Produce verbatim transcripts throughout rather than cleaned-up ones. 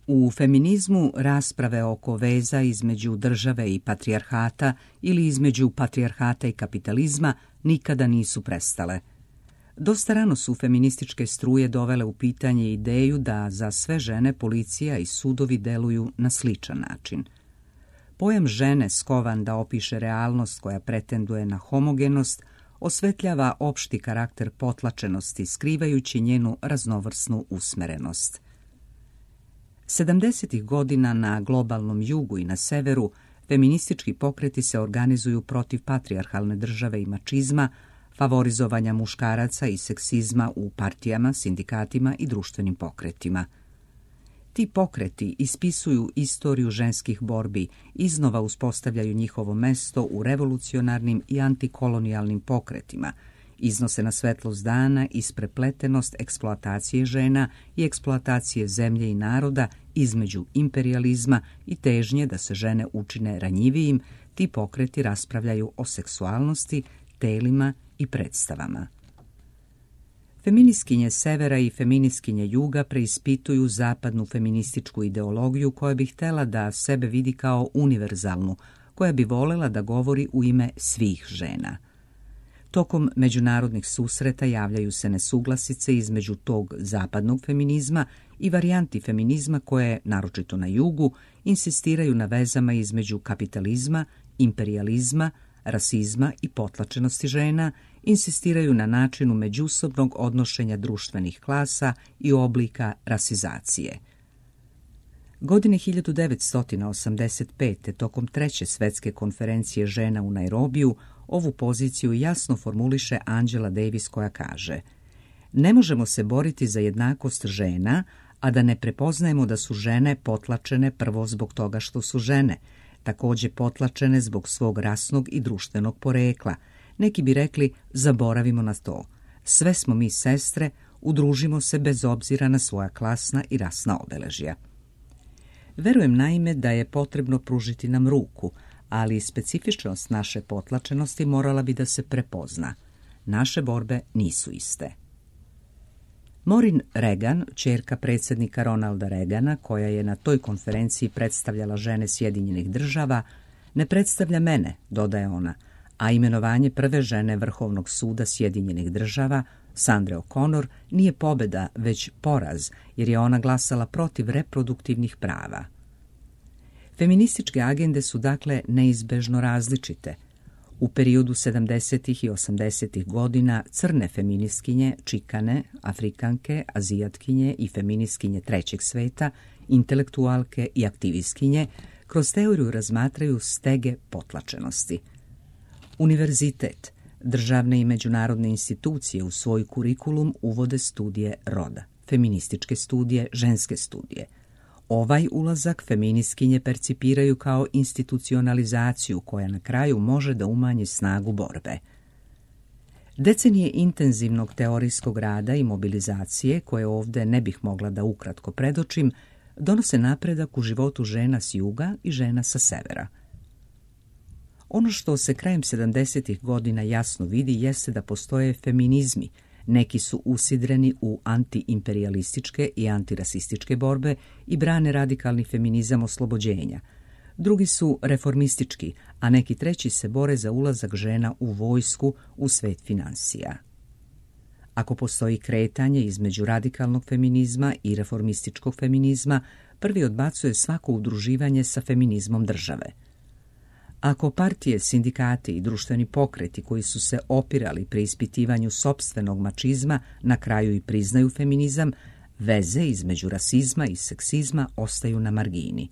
U feminizmu rasprave oko veza između države i patrijarhata ili između patrijarhata i kapitalizma nikada nisu prestale. Dosta rano su feminističke struje dovele u pitanje ideju da za sve žene policija i sudovi deluju na sličan način. Pojam žene skovan da opiše realnost koja pretenduje na homogenost osvetljava opšti karakter potlačenosti, skrivajući njenu raznovrsnu usmerenost. sedamdesetih godina na globalnom jugu i na severu feministički pokreti se organizuju protiv patrijarhalne države i mačizma, favorizovanja muškaraca i seksizma u partijama, sindikatima i društvenim pokretima. Ti pokreti ispisuju istoriju ženskih borbi, iznova uspostavljaju njihovo mesto u revolucionarnim i antikolonijalnim pokretima, iznose na svetlost dana isprepletenost eksploatacije žena i eksploatacije zemlje i naroda između imperijalizma i težnje da se žene učine ranjivijim. Ti pokreti raspravljaju o seksualnosti, telima i predstavama. Feministkinje severa i feministkinje juga preispituju zapadnu feminističku ideologiju koja bi htjela da sebe vidi kao univerzalnu, koja bi volela da govori u ime svih žena. Tokom međunarodnih susreta javljaju se nesuglasice između tog zapadnog feminizma i varijanti feminizma koje, naročito na jugu, insistiraju na vezama između kapitalizma, imperijalizma, rasizma i potlačenosti žena, insistiraju na načinu međusobnog odnošenja društvenih klasa i oblika rasizacije. Godine hiljadu devetsto osamdeset pete. tokom treće svetske konferencije žena u Nairobiju, ovu poziciju jasno formuliše Angela Davis koja kaže: ne možemo se boriti za jednakost žena, a da ne prepoznajemo da su žene potlačene prvo zbog toga što su žene, također potlačene zbog svog rasnog i društvenog porekla. Neki bi rekli, zaboravimo na to. Sve smo mi sestre, udružimo se bez obzira na svoja klasna i rasna obeležja. Verujem naime da je potrebno pružiti nam ruku, ali specifičnost naše potlačenosti morala bi da se prepozna. Naše borbe nisu iste. Maureen Reagan, ćerka predsjednika Ronalda Reagana, koja je na toj konferenciji predstavljala žene Sjedinjenih država, ne predstavlja mene, dodaje ona, a imenovanje prve žene Vrhovnog suda Sjedinjenih država, Sandre O'Connor, nije pobjeda, već poraz, jer je ona glasala protiv reproduktivnih prava. Feminističke agende su dakle neizbežno različite. U periodu sedamdesetih i osamdesetih godina crne feministkinje, čikane, afrikanke, azijatkinje i feministkinje trećeg sveta, intelektualke i aktivistkinje kroz teoriju razmatraju stege potlačenosti. Univerzitet, državne i međunarodne institucije u svoj kurikulum uvode studije roda, feminističke studije, ženske studije. Ovaj ulazak feministkinje percipiraju kao institucionalizaciju koja na kraju može da umanji snagu borbe. Decenije intenzivnog teorijskog rada i mobilizacije, koje ovdje ne bih mogla da ukratko predočim, donose napredak u životu žena s juga i žena sa severa. Ono što se krajem sedamdesetih godina jasno vidi jeste da postoje feminizmi. Neki su usidreni u antiimperijalističke i antirasističke borbe i brane radikalni feminizam oslobođenja. Drugi su reformistički, a neki treći se bore za ulazak žena u vojsku, u svet finansija. Ako postoji kretanje između radikalnog feminizma i reformističkog feminizma, prvi odbacuje svako udruživanje sa feminizmom države. Ako partije, sindikati i društveni pokreti koji su se opirali pri ispitivanju sopstvenog mačizma na kraju i priznaju feminizam, veze između rasizma i seksizma ostaju na margini.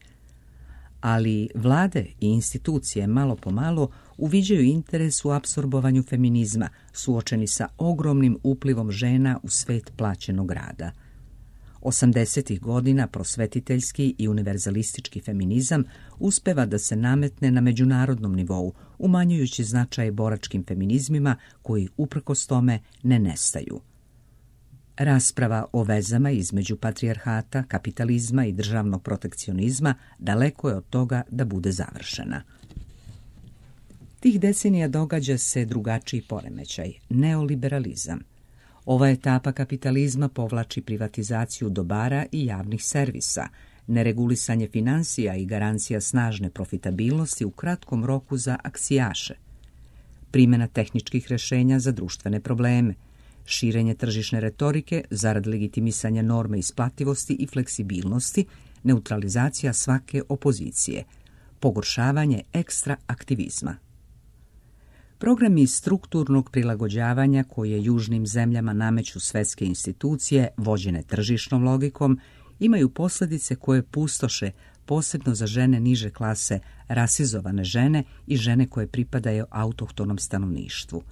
Ali vlade i institucije malo po malo uviđaju interes u apsorbovanju feminizma, suočeni sa ogromnim uplivom žena u svet plaćenog rada. Osamdesetih godina prosvetiteljski i univerzalistički feminizam uspeva da se nametne na međunarodnom nivou, umanjujući značaj boračkim feminizmima koji uprkos tome ne nestaju. Rasprava o vezama između patrijarhata, kapitalizma i državnog protekcionizma daleko je od toga da bude završena. Tih decenija događa se drugačiji poremećaj, neoliberalizam. Ova etapa kapitalizma povlači privatizaciju dobara i javnih servisa, neregulisanje financija i garancija snažne profitabilnosti u kratkom roku za aksijaše, primjena tehničkih rješenja za društvene probleme, širenje tržišne retorike zarad legitimisanja norme isplativosti i fleksibilnosti, neutralizacija svake opozicije, pogoršavanje ekstra aktivizma. Programi strukturnog prilagođavanja koje južnim zemljama nameću svjetske institucije, vođene tržišnom logikom, imaju posljedice koje pustoše posebno za žene niže klase, rasizovane žene i žene koje pripadaju autohtonom stanovništvu.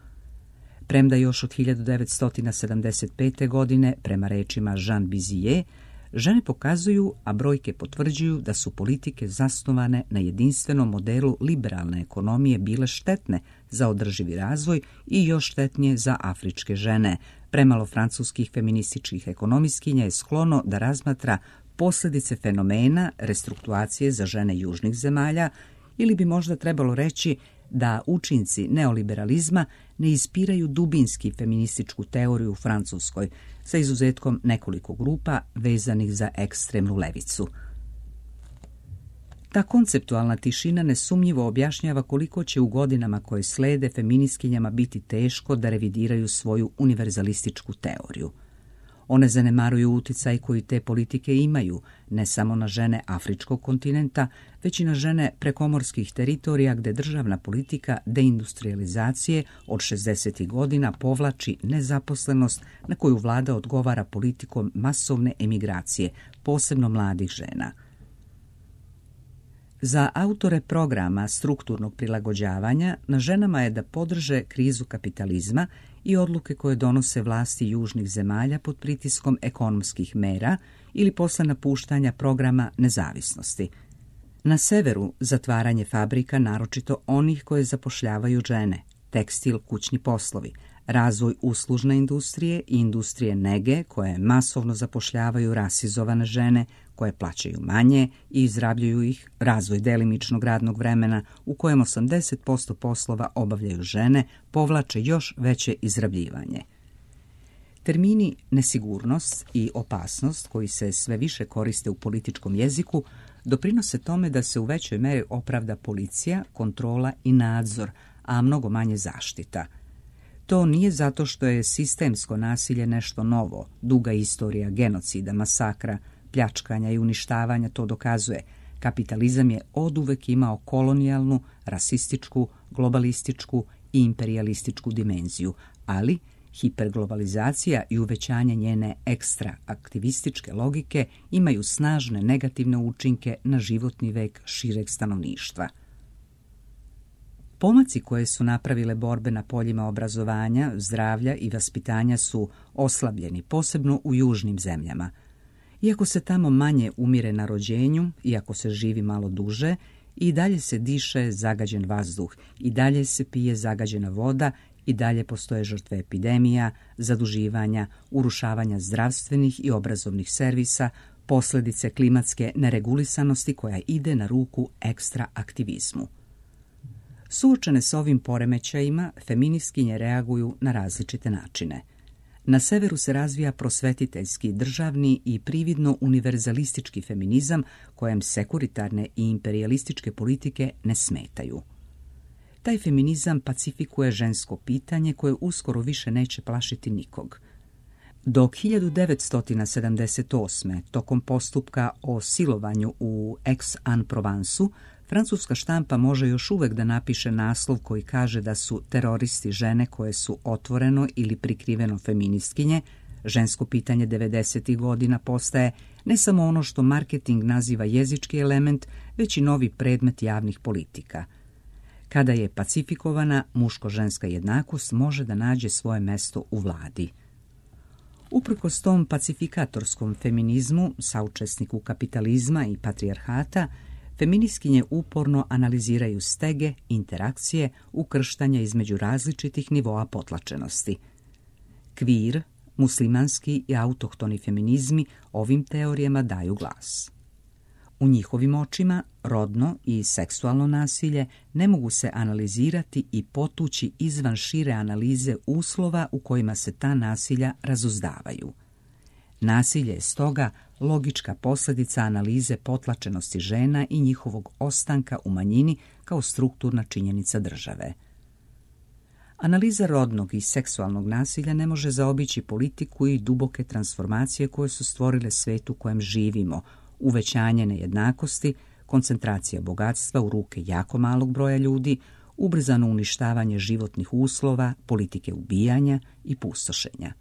Premda još od hiljadu devetsto sedamdeset pete. godine, prema rečima Jean Bizije, žene pokazuju, a brojke potvrđuju da su politike zasnovane na jedinstvenom modelu liberalne ekonomije bile štetne za održivi razvoj i još štetnije za afričke žene. Premalo francuskih feminističkih ekonomistkinja je sklono da razmatra posljedice fenomena restruktuacije za žene južnih zemalja, ili bi možda trebalo reći da učinci neoliberalizma ne ispiraju dubinski feminističku teoriju u Francuskoj, sa izuzetkom nekoliko grupa vezanih za ekstremnu levicu. Ta konceptualna tišina nesumnjivo objašnjava koliko će u godinama koje slede feministkinjama biti teško da revidiraju svoju univerzalističku teoriju. One zanemaruju utjecaj koji te politike imaju, ne samo na žene afričkog kontinenta, već i na žene prekomorskih teritorija gdje državna politika deindustrializacije od šezdesetih godina povlači nezaposlenost na koju vlada odgovara politikom masovne emigracije, posebno mladih žena. Za autore programa strukturnog prilagođavanja na ženama je da podrže krizu kapitalizma i odluke koje donose vlasti južnih zemalja pod pritiskom ekonomskih mera ili posle napuštanja programa nezavisnosti. Na severu zatvaranje fabrika, naročito onih koje zapošljavaju žene, tekstil, kućni poslovi, razvoj uslužne industrije i industrije nege koje masovno zapošljavaju rasizovane žene, koje plaćaju manje i izrabljuju ih, razvoj delimičnog radnog vremena u kojem osamdeset posto poslova obavljaju žene, povlače još veće izrabljivanje. Termini nesigurnost i opasnost, koji se sve više koriste u političkom jeziku, doprinose tome da se u većoj meri opravda policija, kontrola i nadzor, a mnogo manje zaštita. To nije zato što je sistemsko nasilje nešto novo, duga istorija genocida, masakra, pljačkanja i uništavanja to dokazuje. Kapitalizam je oduvek imao kolonijalnu, rasističku, globalističku i imperijalističku dimenziju, ali hiperglobalizacija i uvećanje njene ekstra aktivističke logike imaju snažne negativne učinke na životni vek šireg stanovništva. Pomaci koje su napravile borbe na poljima obrazovanja, zdravlja i vaspitanja su oslabljeni, posebno u južnim zemljama. Iako se tamo manje umire na rođenju, iako se živi malo duže, i dalje se diše zagađen vazduh, i dalje se pije zagađena voda, i dalje postoje žrtve epidemija, zaduživanja, urušavanja zdravstvenih i obrazovnih servisa, posljedice klimatske neregulisanosti koja ide na ruku ekstra aktivizmu. Suočene s ovim poremećajima, feministkinje reaguju na različite načine. Na severu se razvija prosvetiteljski, državni i prividno univerzalistički feminizam kojem sekuritarne i imperijalističke politike ne smetaju. Taj feminizam pacifikuje žensko pitanje koje uskoro više neće plašiti nikog. Dok hiljadu devetsto sedamdeset osme. tokom postupka o silovanju u Aix-en-Provensu, francuska štampa može još uvijek da napiše naslov koji kaže da su teroristi žene koje su otvoreno ili prikriveno feministkinje, žensko pitanje devedesetih godina postaje ne samo ono što marketing naziva jezički element, već i novi predmet javnih politika. Kada je pacifikovana, muško-ženska jednakost može da nađe svoje mesto u vladi. Uprkos tom pacifikatorskom feminizmu, saučesniku kapitalizma i patrijarhata, feministkinje uporno analiziraju stege, interakcije, ukrštanja između različitih nivoa potlačenosti. Kvir, muslimanski i autohtoni feminizmi ovim teorijama daju glas. U njihovim očima rodno i seksualno nasilje ne mogu se analizirati i potući izvan šire analize uslova u kojima se ta nasilja razuzdavaju. Nasilje je stoga logička posljedica analize potlačenosti žena i njihovog ostanka u manjini kao strukturna činjenica države. Analiza rodnog i seksualnog nasilja ne može zaobići politiku i duboke transformacije koje su stvorile svijet u kojem živimo, uvećanje nejednakosti, koncentracija bogatstva u ruke jako malog broja ljudi, ubrzano uništavanje životnih uslova, politike ubijanja i pustošenja.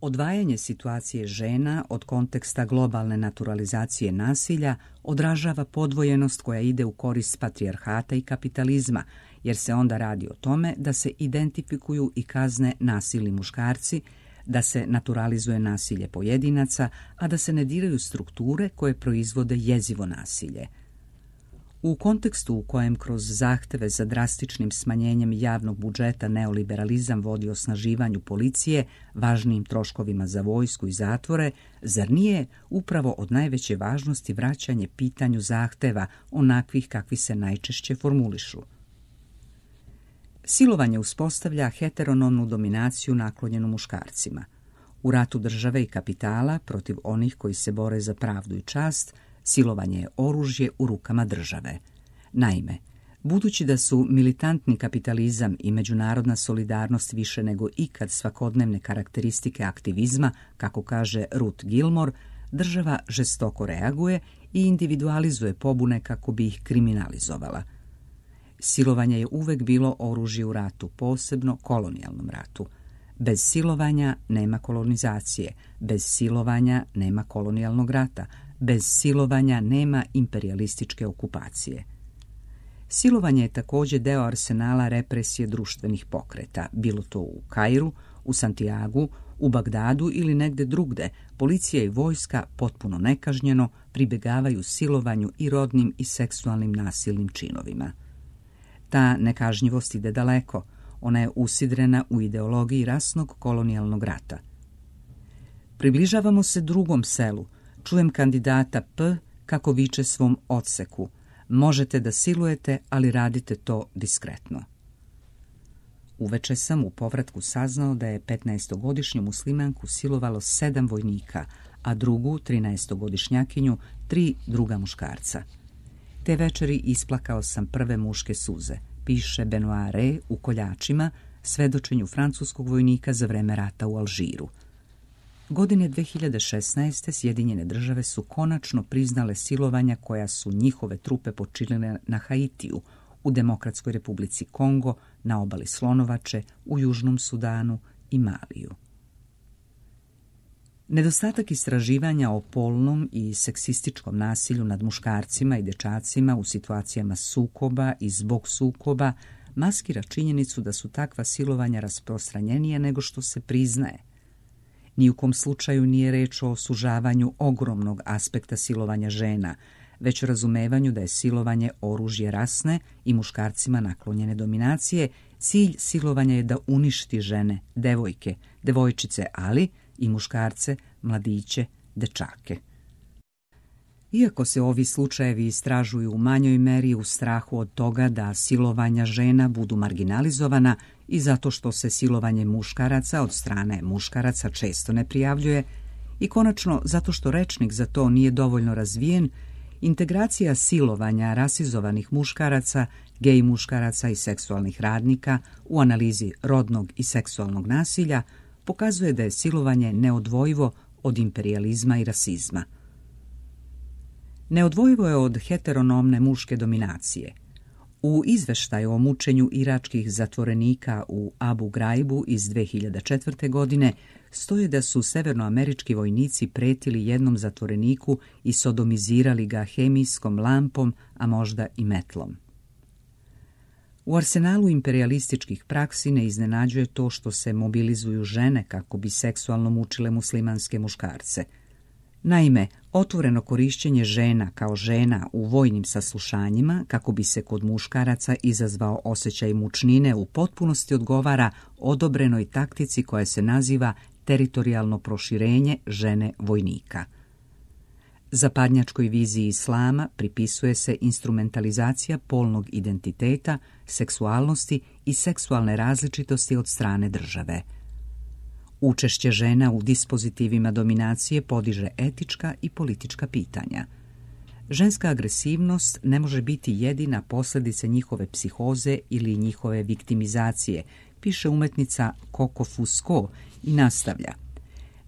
Odvajanje situacije žena od konteksta globalne naturalizacije nasilja odražava podvojenost koja ide u korist patrijarhata i kapitalizma, jer se onda radi o tome da se identifikuju i kazne nasilni muškarci, da se naturalizuje nasilje pojedinaca, a da se ne diraju strukture koje proizvode jezivo nasilje. U kontekstu u kojem kroz zahteve za drastičnim smanjenjem javnog budžeta neoliberalizam vodi osnaživanju policije, važnijim troškovima za vojsku i zatvore, zar nije upravo od najveće važnosti vraćanje pitanju zahteva onakvih kakvi se najčešće formulišu? Silovanje uspostavlja heteronomnu dominaciju naklonjenu muškarcima. U ratu države i kapitala protiv onih koji se bore za pravdu i čast, silovanje je oružje u rukama države. Naime, budući da su militantni kapitalizam i međunarodna solidarnost više nego ikad svakodnevne karakteristike aktivizma, kako kaže Ruth Gilmore, država žestoko reaguje i individualizuje pobune kako bi ih kriminalizovala. Silovanje je uvek bilo oružje u ratu, posebno kolonijalnom ratu. Bez silovanja nema kolonizacije, bez silovanja nema kolonijalnog rata, bez silovanja nema imperijalističke okupacije. Silovanje je također deo arsenala represije društvenih pokreta, bilo to u Kairu, u Santiagu, u Bagdadu ili negde drugde. Policija i vojska potpuno nekažnjeno pribegavaju silovanju i rodnim i seksualnim nasilnim činovima. Ta nekažnjivost ide daleko, ona je usidrena u ideologiji rasnog kolonijalnog rata. Približavamo se drugom selu, čujem kandidata P kako viče svom odseku: možete da silujete, ali radite to diskretno. Uveče sam u povratku saznao da je petnaestogodišnju muslimanku silovalo sedam vojnika, a drugu, trinaestogodišnjakinju, tri druga muškarca. Te večeri isplakao sam prve muške suze, piše Benoit Re u Koljačima, svedočenju francuskog vojnika za vreme rata u Alžiru. Godine dve hiljade šesnaeste. Sjedinjene države su konačno priznale silovanja koja su njihove trupe počinile na Haitiju, u Demokratskoj republici Kongo, na obali Slonovače, u Južnom Sudanu i Maliju. Nedostatak istraživanja o polnom i seksističkom nasilju nad muškarcima i dečacima u situacijama sukoba i zbog sukoba maskira činjenicu da su takva silovanja rasprostranjenija nego što se priznaje. Ni u kom slučaju nije reč o sužavanju ogromnog aspekta silovanja žena, već razumevanju da je silovanje oružje rasne i muškarcima naklonjene dominacije. Cilj silovanja je da uništi žene, devojke, devojčice, ali i muškarce, mladiće, dečake. Iako se ovi slučajevi istražuju u manjoj meri u strahu od toga da silovanja žena budu marginalizovana i zato što se silovanje muškaraca od strane muškaraca često ne prijavljuje, i konačno zato što rečnik za to nije dovoljno razvijen, integracija silovanja rasizovanih muškaraca, gej muškaraca i seksualnih radnika u analizi rodnog i seksualnog nasilja pokazuje da je silovanje neodvojivo od imperijalizma i rasizma. Neodvojivo je od heteronomne muške dominacije. U izveštaju o mučenju iračkih zatvorenika u Abu Graibu iz dve hiljade četvrte. godine stoji da su severnoamerički vojnici pretili jednom zatvoreniku i sodomizirali ga hemijskom lampom, a možda i metlom. U arsenalu imperijalističkih praksi ne iznenađuje to što se mobilizuju žene kako bi seksualno mučile muslimanske muškarce. Naime, otvoreno korišćenje žena kao žena u vojnim saslušanjima kako bi se kod muškaraca izazvao osjećaj mučnine u potpunosti odgovara odobrenoj taktici koja se naziva teritorijalno proširenje žene vojnika. Zapadnjačkoj viziji islama pripisuje se instrumentalizacija polnog identiteta, seksualnosti i seksualne različitosti od strane države. Učešće žena u dispozitivima dominacije podiže etička i politička pitanja. Ženska agresivnost ne može biti jedina posljedica njihove psihoze ili njihove viktimizacije, piše umetnica Coco Fusco i nastavlja.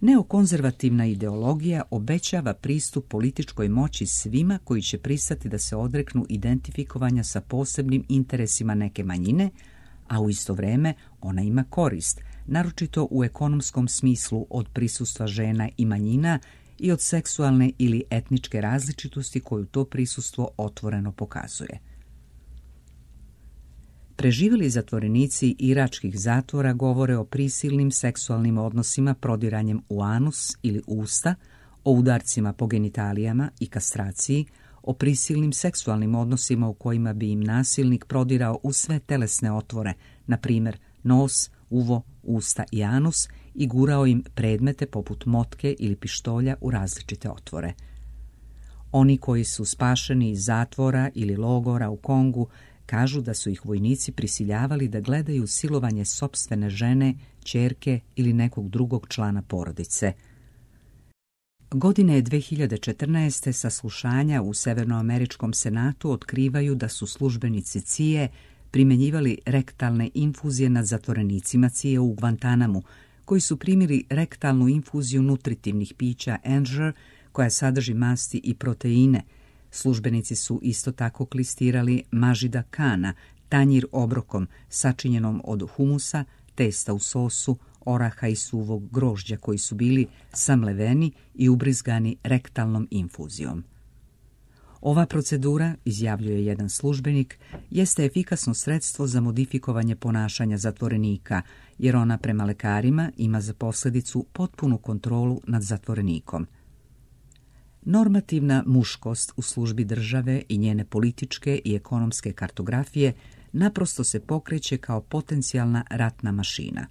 Neokonzervativna ideologija obećava pristup političkoj moći svima koji će pristati da se odreknu identifikovanja sa posebnim interesima neke manjine, a u isto vrijeme ona ima korist, naročito u ekonomskom smislu od prisustva žena i manjina i od seksualne ili etničke različitosti koju to prisustvo otvoreno pokazuje. Preživjeli zatvorenici iračkih zatvora govore o prisilnim seksualnim odnosima prodiranjem u anus ili usta, o udarcima po genitalijama i kastraciji, o prisilnim seksualnim odnosima u kojima bi im nasilnik prodirao u sve telesne otvore, na primjer nos, uvo, usta i anus, i gurao im predmete poput motke ili pištolja u različite otvore. Oni koji su spašeni iz zatvora ili logora u Kongu kažu da su ih vojnici prisiljavali da gledaju silovanje sopstvene žene, ćerke ili nekog drugog člana porodice. Godine dve hiljade četrnaeste. saslušanja u Severnoameričkom senatu otkrivaju da su službenici C I E primjenjivali rektalne infuzije nad zatvorenicima C I E u Guantanamu, koji su primili rektalnu infuziju nutritivnih pića Ensure, koja sadrži masti i proteine. Službenici su isto tako klistirali Mažida Kana, tanjir obrokom sačinjenom od humusa, testa u sosu, oraha i suvog grožđa koji su bili samleveni i ubrizgani rektalnom infuzijom. Ova procedura, izjavljuje jedan službenik, jeste efikasno sredstvo za modifikovanje ponašanja zatvorenika, jer ona prema lekarima ima za posljedicu potpunu kontrolu nad zatvorenikom. Normativna muškost u službi države i njene političke i ekonomske kartografije naprosto se pokreće kao potencijalna ratna mašina.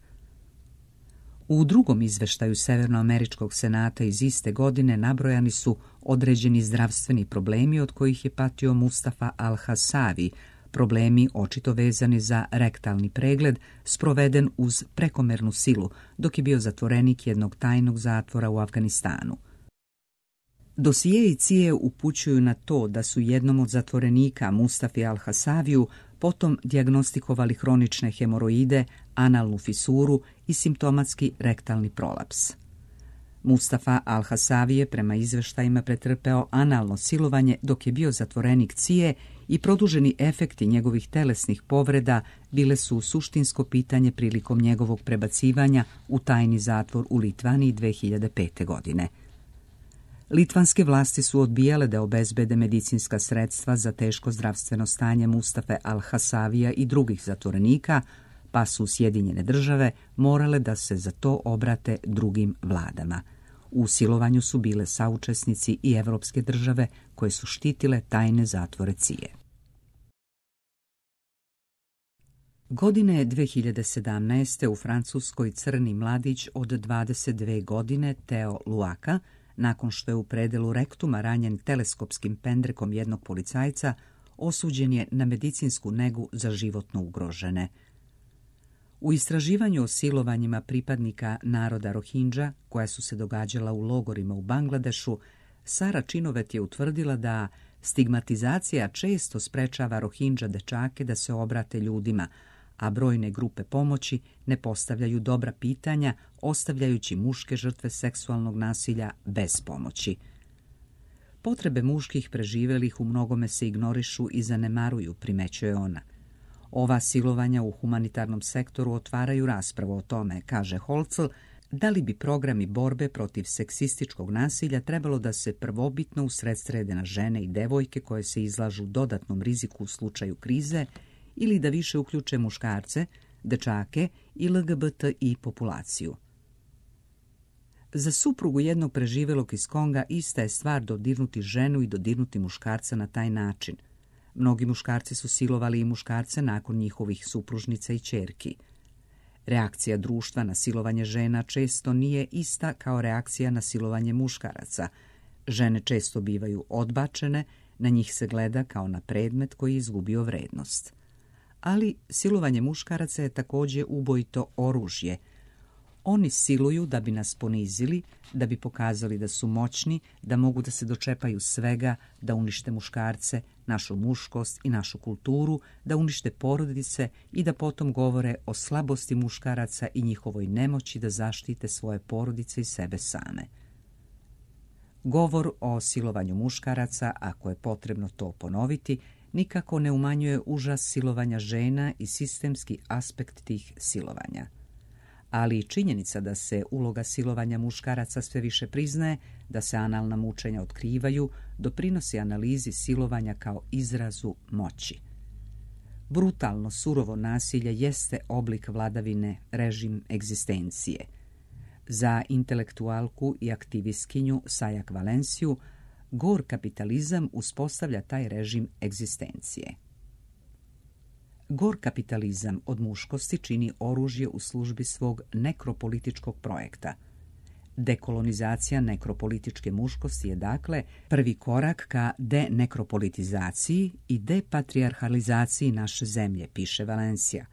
U drugom izveštaju Severnoameričkog senata iz iste godine nabrojani su određeni zdravstveni problemi od kojih je patio Mustafa al-Hasavi, problemi očito vezani za rektalni pregled sproveden uz prekomernu silu dok je bio zatvorenik jednog tajnog zatvora u Afganistanu. Dosijeji C I E upućuju na to da su jednom od zatvorenika Mustafi al-Hasaviju potom dijagnostikovali hronične hemoroide, analnu fisuru i simptomatski rektalni prolaps. Mustafa al-Hasavi je prema izveštajima pretrpeo analno silovanje dok je bio zatvorenik C I E i produženi efekti njegovih telesnih povreda bile su suštinsko pitanje prilikom njegovog prebacivanja u tajni zatvor u Litvaniji dve hiljade pete. godine. Litvanske vlasti su odbijale da obezbede medicinska sredstva za teško zdravstveno stanje Mustafe al-Hasavija i drugih zatvorenika, pa su Sjedinjene države morale da se za to obrate drugim vladama. U silovanju su bile saučesnici i evropske države koje su štitile tajne zatvore C I E. Godine dve hiljade sedamnaeste. u Francuskoj crni mladić od dvadeset dve godine Theo Luaka, nakon što je u predelu rektuma ranjen teleskopskim pendrekom jednog policajca, osuđen je na medicinsku negu za životno ugrožene. U istraživanju o silovanjima pripadnika naroda Rohingya, koja su se događala u logorima u Bangladešu, Sara Činovet je utvrdila da stigmatizacija često sprečava Rohingya dečake da se obrate ljudima, a brojne grupe pomoći ne postavljaju dobra pitanja, ostavljajući muške žrtve seksualnog nasilja bez pomoći. Potrebe muških preživelih u mnogome se ignorišu i zanemaruju, primećuje ona. Ova silovanja u humanitarnom sektoru otvaraju raspravu o tome, kaže Holcl, da li bi programi borbe protiv seksističkog nasilja trebalo da se prvobitno usredsrede na žene i devojke koje se izlažu dodatnom riziku u slučaju krize, ili da više uključe muškarce, dečake i L G B T I populaciju. Za suprugu jednog preživelog iz Konga ista je stvar dodirnuti ženu i dodirnuti muškarca na taj način. Mnogi muškarci su silovali i muškarce nakon njihovih supružnica i ćerki. Reakcija društva na silovanje žena često nije ista kao reakcija na silovanje muškaraca. Žene često bivaju odbačene, na njih se gleda kao na predmet koji je izgubio vrednost. Ali silovanje muškaraca je također ubojito oružje. Oni siluju da bi nas ponizili, da bi pokazali da su moćni, da mogu da se dočepaju svega, da unište muškarce, našu muškost i našu kulturu, da unište porodice i da potom govore o slabosti muškaraca i njihovoj nemoći da zaštite svoje porodice i sebe same. Govor o silovanju muškaraca, ako je potrebno to ponoviti, nikako ne umanjuje užas silovanja žena i sistemski aspekt tih silovanja. Ali i činjenica da se uloga silovanja muškaraca sve više priznaje, da se analna mučenja otkrivaju, doprinosi analizi silovanja kao izrazu moći. Brutalno, surovo nasilje jeste oblik vladavine, režim egzistencije. Za intelektualku i aktivistkinju Sajak Valenciju, gor kapitalizam uspostavlja taj režim egzistencije. Gor kapitalizam od muškosti čini oružje u službi svog nekropolitičkog projekta. Dekolonizacija nekropolitičke muškosti je dakle prvi korak ka denekropolitizaciji i depatrijarhalizaciji naše zemlje, piše Valencija.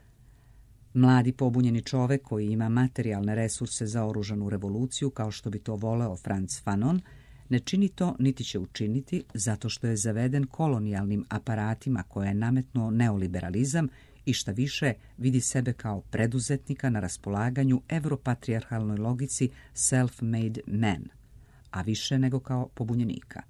Mladi pobunjeni čovek koji ima materijalne resurse za oružanu revoluciju, kao što bi to voleo Frantz Fanon, ne čini to niti će učiniti zato što je zaveden kolonijalnim aparatima koje je nametnuo neoliberalizam i šta više vidi sebe kao preduzetnika na raspolaganju evropatrijarhalnoj logici self-made man, a više nego kao pobunjenika.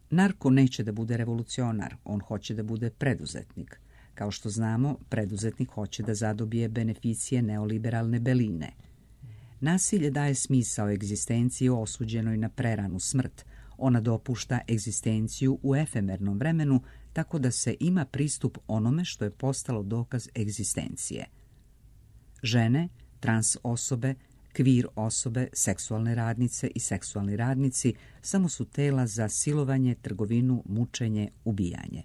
Narko neće da bude revolucionar, on hoće da bude preduzetnik. Kao što znamo, preduzetnik hoće da zadobije beneficije neoliberalne beline. Nasilje daje smisao egzistenciji osuđenoj na preranu smrt. Ona dopušta egzistenciju u efemernom vremenu, tako da se ima pristup onome što je postalo dokaz egzistencije. Žene, trans osobe, kvir osobe, seksualne radnice i seksualni radnici samo su tela za silovanje, trgovinu, mučenje, ubijanje.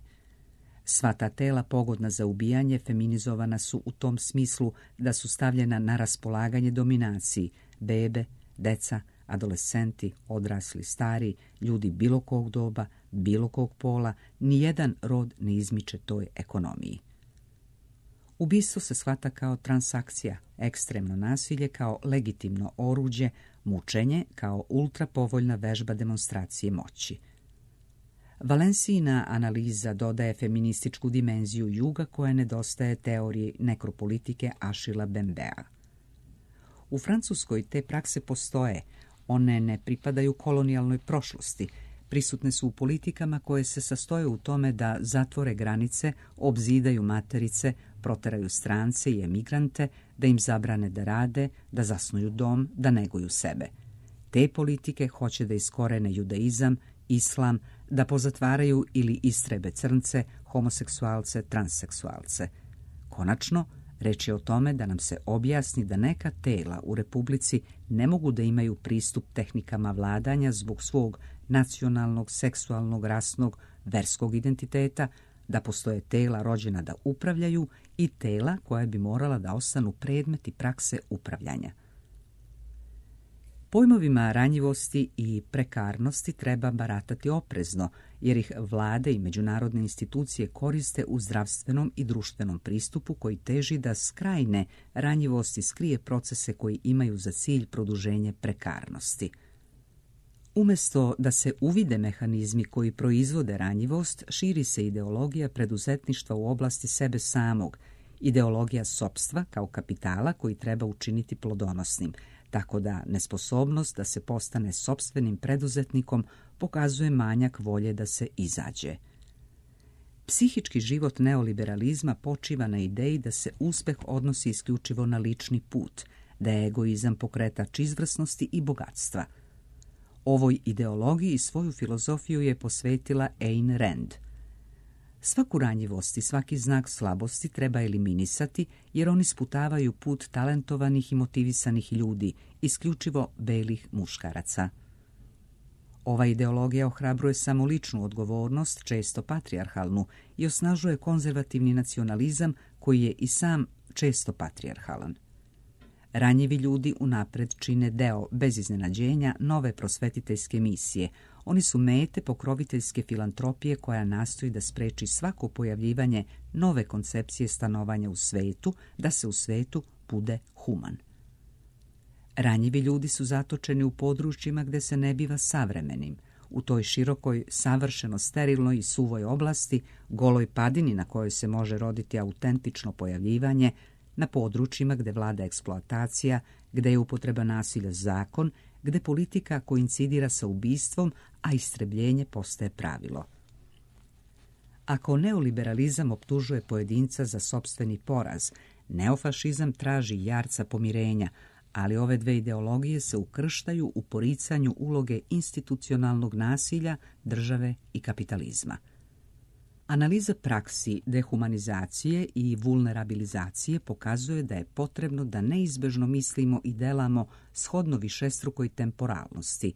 Sva ta tela pogodna za ubijanje feminizovana su u tom smislu da su stavljena na raspolaganje dominaciji bebe, deca, adolescenti, odrasli, stari, ljudi bilo kog doba, bilo kog pola, nijedan rod ne izmiče toj ekonomiji. Ubistvo se shvata kao transakcija, ekstremno nasilje kao legitimno oruđe, mučenje kao ultrapovoljna vežba demonstracije moći. Valencijina analiza dodaje feminističku dimenziju juga koja nedostaje teoriji nekropolitike Achilla Bembea. U Francuskoj te prakse postoje, one ne pripadaju kolonijalnoj prošlosti, prisutne su u politikama koje se sastoje u tome da zatvore granice, obzidaju materice, proteraju strance i emigrante, da im zabrane da rade, da zasnuju dom, da neguju sebe. Te politike hoće da iskorene judaizam, islam, da pozatvaraju ili istrebe crnce, homoseksualce, transseksualce. Konačno, reč je o tome da nam se objasni da neka tela u Republici ne mogu da imaju pristup tehnikama vladanja zbog svog nacionalnog, seksualnog, rasnog, verskog identiteta, da postoje tela rođena da upravljaju i tela koja bi morala da ostanu predmeti prakse upravljanja. Pojmovima ranjivosti i prekarnosti treba baratati oprezno, jer ih vlade i međunarodne institucije koriste u zdravstvenom i društvenom pristupu koji teži da s krajne ranjivosti skrije procese koji imaju za cilj produženje prekarnosti. Umjesto da se uvide mehanizmi koji proizvode ranjivost, širi se ideologija preduzetništva u oblasti sebe samog, ideologija sopstva kao kapitala koji treba učiniti plodonosnim, tako da nesposobnost da se postane sopstvenim preduzetnikom pokazuje manjak volje da se izađe. Psihički život neoliberalizma počiva na ideji da se uspeh odnosi isključivo na lični put, da je egoizam pokretač izvrsnosti i bogatstva. Ovoj ideologiji svoju filozofiju je posvetila Ayn Rand. Svaku ranjivost i svaki znak slabosti treba eliminisati jer oni sputavaju put talentovanih i motivisanih ljudi, isključivo belih muškaraca. Ova ideologija ohrabruje samo ličnu odgovornost, često patrijarhalnu, i osnažuje konzervativni nacionalizam koji je i sam često patrijarhalan. Ranjivi ljudi unapred čine deo, bez iznenađenja, nove prosvetiteljske misije. Oni su mete pokroviteljske filantropije koja nastoji da spreči svako pojavljivanje nove koncepcije stanovanja u svetu, da se u svetu bude human. Ranjivi ljudi su zatočeni u područjima gdje se ne biva savremenim, u toj širokoj, savršeno sterilnoj i suvoj oblasti, goloj padini na kojoj se može roditi autentično pojavljivanje, na područjima gdje vlada eksploatacija, gdje je upotreba nasilja zakon, gdje politika koincidira sa ubistvom, a istrebljenje postaje pravilo. Ako neoliberalizam optužuje pojedinca za sopstveni poraz, neofašizam traži jarca pomirenja, ali ove dve ideologije se ukrštaju u poricanju uloge institucionalnog nasilja, države i kapitalizma. Analiza praksi dehumanizacije i vulnerabilizacije pokazuje da je potrebno da neizbežno mislimo i delamo shodno višestrukoj temporalnosti,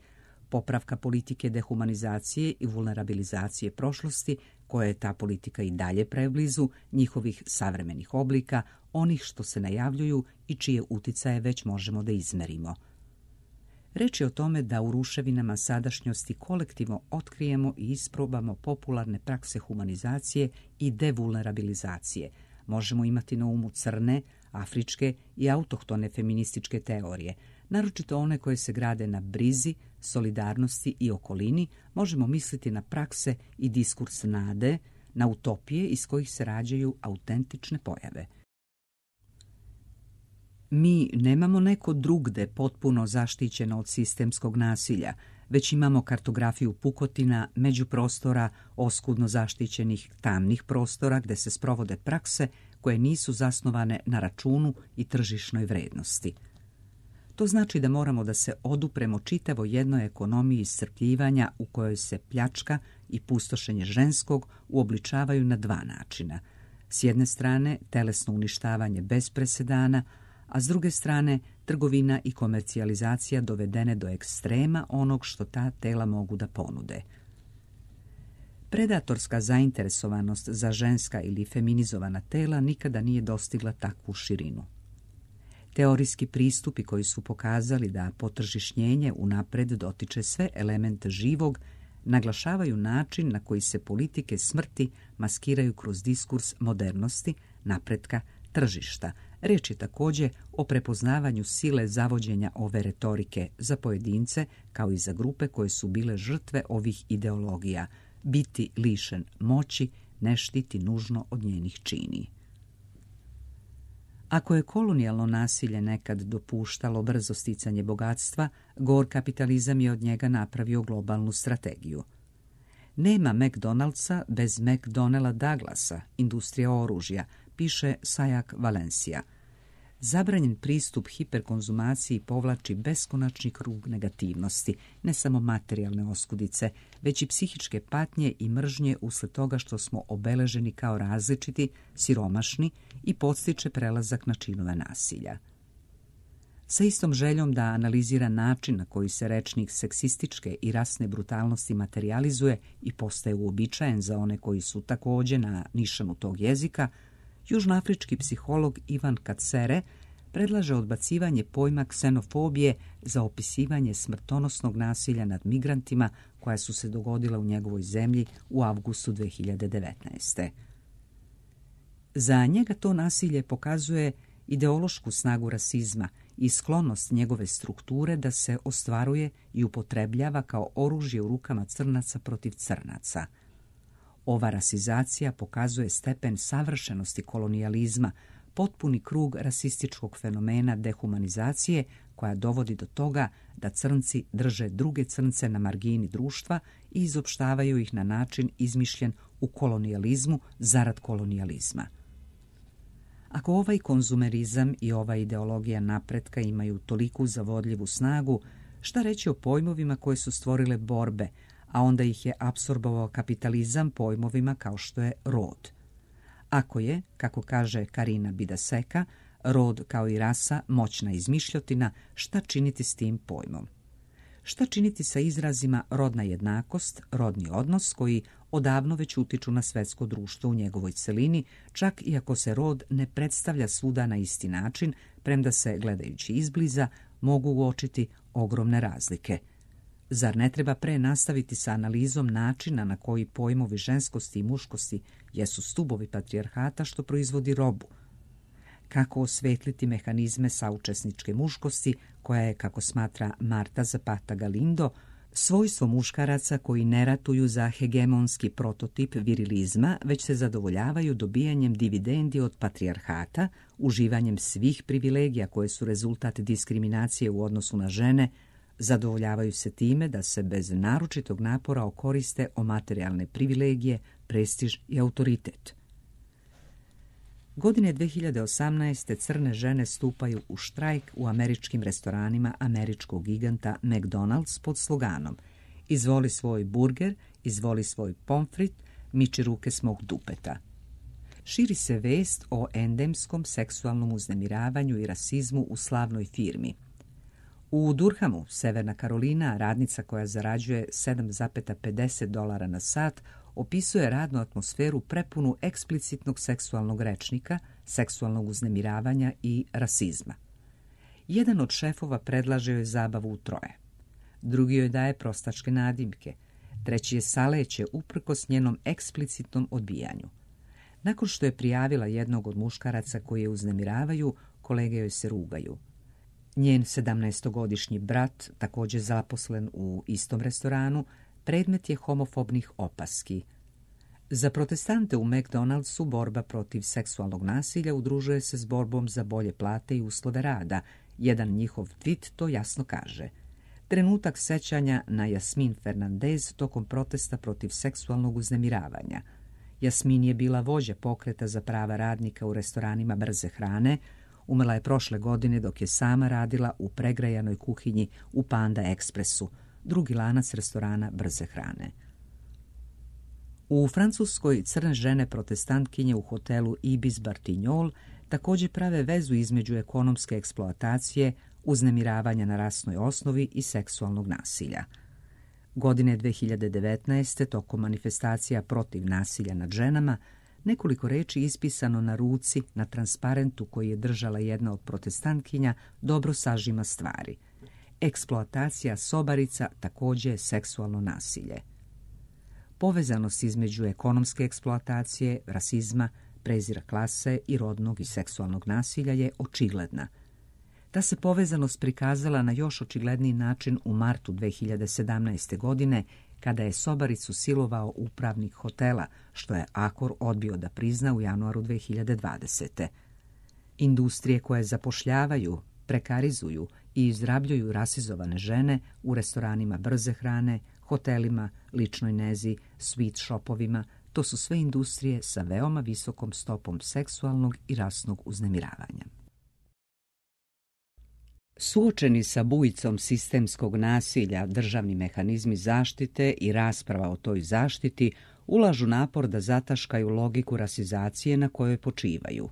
popravka politike dehumanizacije i vulnerabilizacije prošlosti, koja je ta politika i dalje preblizu njihovih savremenih oblika, onih što se najavljuju i čije uticaje već možemo da izmerimo. Reč je o tome da u ruševinama sadašnjosti kolektivno otkrijemo i isprobamo popularne prakse humanizacije i devulnerabilizacije. Možemo imati na umu crne, afričke i autohtone feminističke teorije, naročito one koje se grade na brizi, solidarnosti i okolini. Možemo misliti na prakse i diskurs nade, na utopije iz kojih se rađaju autentične pojave. Mi nemamo neko drugde potpuno zaštićeno od sistemskog nasilja, već imamo kartografiju pukotina, međuprostora, oskudno zaštićenih tamnih prostora gdje se sprovode prakse koje nisu zasnovane na računu i tržišnoj vrednosti. To znači da moramo da se odupremo čitavo jednoj ekonomiji iscrpljivanja u kojoj se pljačka i pustošenje ženskog uobličavaju na dva načina. S jedne strane telesno uništavanje bez presedana, a s druge strane trgovina i komercijalizacija dovedene do ekstrema onog što ta tela mogu da ponude. Predatorska zainteresovanost za ženska ili feminizovana tela nikada nije dostigla takvu širinu. Teorijski pristupi koji su pokazali da potržišnjenje unapred dotiče sve elemente živog, naglašavaju način na koji se politike smrti maskiraju kroz diskurs modernosti, napretka, tržišta. Reč je također o prepoznavanju sile zavođenja ove retorike za pojedince kao i za grupe koje su bile žrtve ovih ideologija. Biti lišen moći ne štiti nužno od njenih čini. Ako je kolonijalno nasilje nekad dopuštalo brzo sticanje bogatstva, gor kapitalizam je od njega napravio globalnu strategiju. Nema McDonald'sa bez McDonnella Douglasa, industrija oružja, piše Sajak Valencija. Zabranjen pristup hiperkonzumaciji povlači beskonačni krug negativnosti, ne samo materijalne oskudice, već i psihičke patnje i mržnje usled toga što smo obeleženi kao različiti, siromašni i podstiče prelazak na činove nasilja. Sa istom željom da analizira način na koji se rečnik seksističke i rasne brutalnosti materijalizuje i postaje uobičajen za one koji su također na nišanu tog jezika, južnoafrički psiholog Ivan Kacere predlaže odbacivanje pojma ksenofobije za opisivanje smrtonosnog nasilja nad migrantima koja su se dogodila u njegovoj zemlji u avgustu dve hiljade devetnaeste. Za njega to nasilje pokazuje ideološku snagu rasizma i sklonost njegove strukture da se ostvaruje i upotrebljava kao oružje u rukama crnaca protiv crnaca. Ova rasizacija pokazuje stepen savršenosti kolonijalizma, potpuni krug rasističkog fenomena dehumanizacije koja dovodi do toga da crnci drže druge crnce na margini društva i izopštavaju ih na način izmišljen u kolonijalizmu zarad kolonijalizma. Ako ovaj konzumerizam i ova ideologija napretka imaju toliku zavodljivu snagu, šta reći o pojmovima koje su stvorile borbe, a onda ih je apsorbovao kapitalizam pojmovima kao što je rod. Ako je, kako kaže Karina Bidaseka, rod kao i rasa moćna izmišljotina, šta činiti s tim pojmom? Šta činiti sa izrazima rodna jednakost, rodni odnos, koji odavno već utiču na svetsko društvo u njegovoj celini, čak i ako se rod ne predstavlja svuda na isti način, premda se, gledajući izbliza, mogu uočiti ogromne razlike. Zar ne treba pre nastaviti sa analizom načina na koji pojmovi ženskosti i muškosti jesu stubovi patrijarhata što proizvodi robu? Kako osvetliti mehanizme saučesničke muškosti koja je, kako smatra Marta Zapata Galindo, svojstvo muškaraca koji ne ratuju za hegemonski prototip virilizma, već se zadovoljavaju dobijanjem dividendi od patrijarhata, uživanjem svih privilegija koje su rezultat diskriminacije u odnosu na žene, zadovoljavaju se time da se bez naročitog napora okoriste o materijalne privilegije, prestiž i autoritet. Godine dve hiljade osamnaeste. crne žene stupaju u štrajk u američkim restoranima američkog giganta McDonald's pod sloganom "Izvoli svoj burger, izvoli svoj pomfrit, miči ruke s mog dupeta." Širi se vest o endemskom seksualnom uznemiravanju i rasizmu u slavnoj firmi. U Durhamu, Severna Karolina, radnica koja zarađuje sedam zarez pedeset dolara na sat opisuje radnu atmosferu prepunu eksplicitnog seksualnog rečnika, seksualnog uznemiravanja i rasizma. Jedan od šefova predlaže joj zabavu u troje. Drugi joj daje prostačke nadimke. Treći je saleće uprkos njenom eksplicitnom odbijanju. Nakon što je prijavila jednog od muškaraca koji je uznemiravaju, kolege joj se rugaju. Njen sedamnaestogodišnji brat, također zaposlen u istom restoranu, predmet je homofobnih opaski. Za protestante u McDonald'su borba protiv seksualnog nasilja udružuje se s borbom za bolje plate i uslove rada. Jedan njihov tweet to jasno kaže. Trenutak sećanja na Jasmin Fernandez tokom protesta protiv seksualnog uznemiravanja. Jasmin je bila vođa pokreta za prava radnika u restoranima brze hrane. Umrla je prošle godine dok je sama radila u pregrajanoj kuhinji u Panda Expressu, drugi lanac restorana brze hrane. U Francuskoj crne žene protestantkinje u hotelu Ibis Bartignol također prave vezu između ekonomske eksploatacije, uznemiravanja na rasnoj osnovi i seksualnog nasilja. Godine dve hiljade devetnaeste. tokom manifestacija protiv nasilja nad ženama, nekoliko reči ispisano na ruci na transparentu koji je držala jedna od protestantkinja dobro sažima stvari. Eksploatacija sobarica također je seksualno nasilje. Povezanost između ekonomske eksploatacije, rasizma, prezira klase i rodnog i seksualnog nasilja je očigledna. Ta se povezanost prikazala na još očigledniji način u martu dve hiljade sedamnaeste. godine, kada je sobaricu silovao upravnik hotela, što je Akor odbio da prizna u januaru dve hiljade dvadesete. Industrije koje zapošljavaju, prekarizuju i izrabljuju rasizovane žene u restoranima brze hrane, hotelima, ličnoj nezi, sweet shopovima, to su sve industrije sa veoma visokom stopom seksualnog i rasnog uznemiravanja. Suočeni sa bujicom sistemskog nasilja, državni mehanizmi zaštite i rasprava o toj zaštiti ulažu napor da zataškaju logiku rasizacije na kojoj počivaju.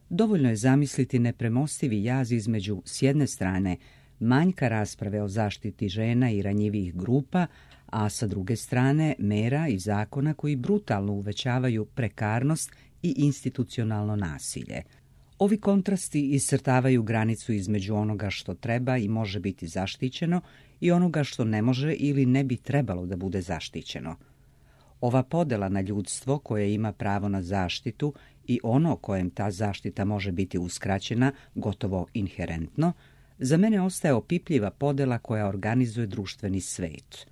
Dovoljno je zamisliti nepremostivi jaz između, s jedne strane, manjka rasprave o zaštiti žena i ranjivih grupa, a sa druge strane mera i zakona koji brutalno uvećavaju prekarnost i institucionalno nasilje. Ovi kontrasti iscrtavaju granicu između onoga što treba i može biti zaštićeno i onoga što ne može ili ne bi trebalo da bude zaštićeno. Ova podela na ljudstvo koje ima pravo na zaštitu i ono kojem ta zaštita može biti uskraćena, gotovo inherentno, za mene ostaje opipljiva podela koja organizuje društveni svet.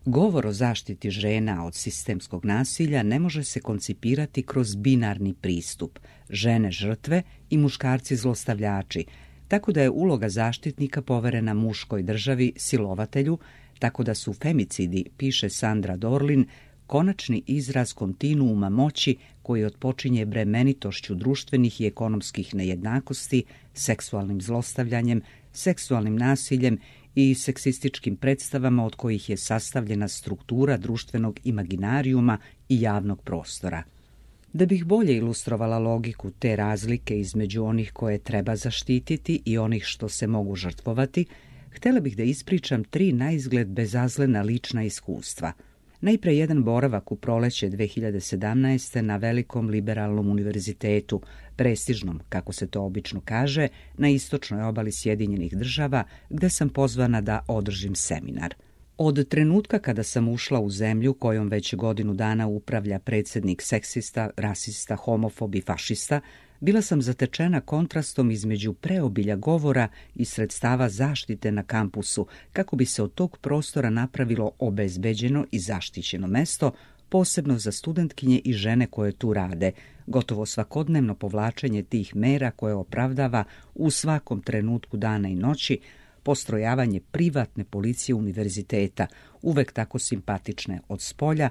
Govor o zaštiti žena od sistemskog nasilja ne može se koncipirati kroz binarni pristup, žene žrtve i muškarci zlostavljači, tako da je uloga zaštitnika poverena muškoj državi, silovatelju, tako da su femicidi, piše Sandra Dorlin, konačni izraz kontinuuma moći koji otpočinje bremenitošću društvenih i ekonomskih nejednakosti, seksualnim zlostavljanjem, seksualnim nasiljem i seksističkim predstavama od kojih je sastavljena struktura društvenog imaginarijuma i javnog prostora. Da bih bolje ilustrovala logiku te razlike između onih koje treba zaštititi i onih što se mogu žrtvovati, htjela bih da ispričam tri naizgled bezazlena lična iskustva. Najpre jedan boravak u proleće dve hiljade sedamnaeste. na velikom liberalnom univerzitetu, prestižnom, kako se to obično kaže, na istočnoj obali Sjedinjenih država, gde sam pozvana da održim seminar. Od trenutka kada sam ušla u zemlju kojom već godinu dana upravlja predsjednik seksista, rasista, homofob i fašista, Bila sam zatečena kontrastom između preobilja govora i sredstava zaštite na kampusu, kako bi se od tog prostora napravilo obezbeđeno i zaštićeno mesto, posebno za studentkinje i žene koje tu rade, gotovo svakodnevno povlačenje tih mera koje opravdava u svakom trenutku dana i noći, postrojavanje privatne policije univerziteta, uvek tako simpatične od spolja,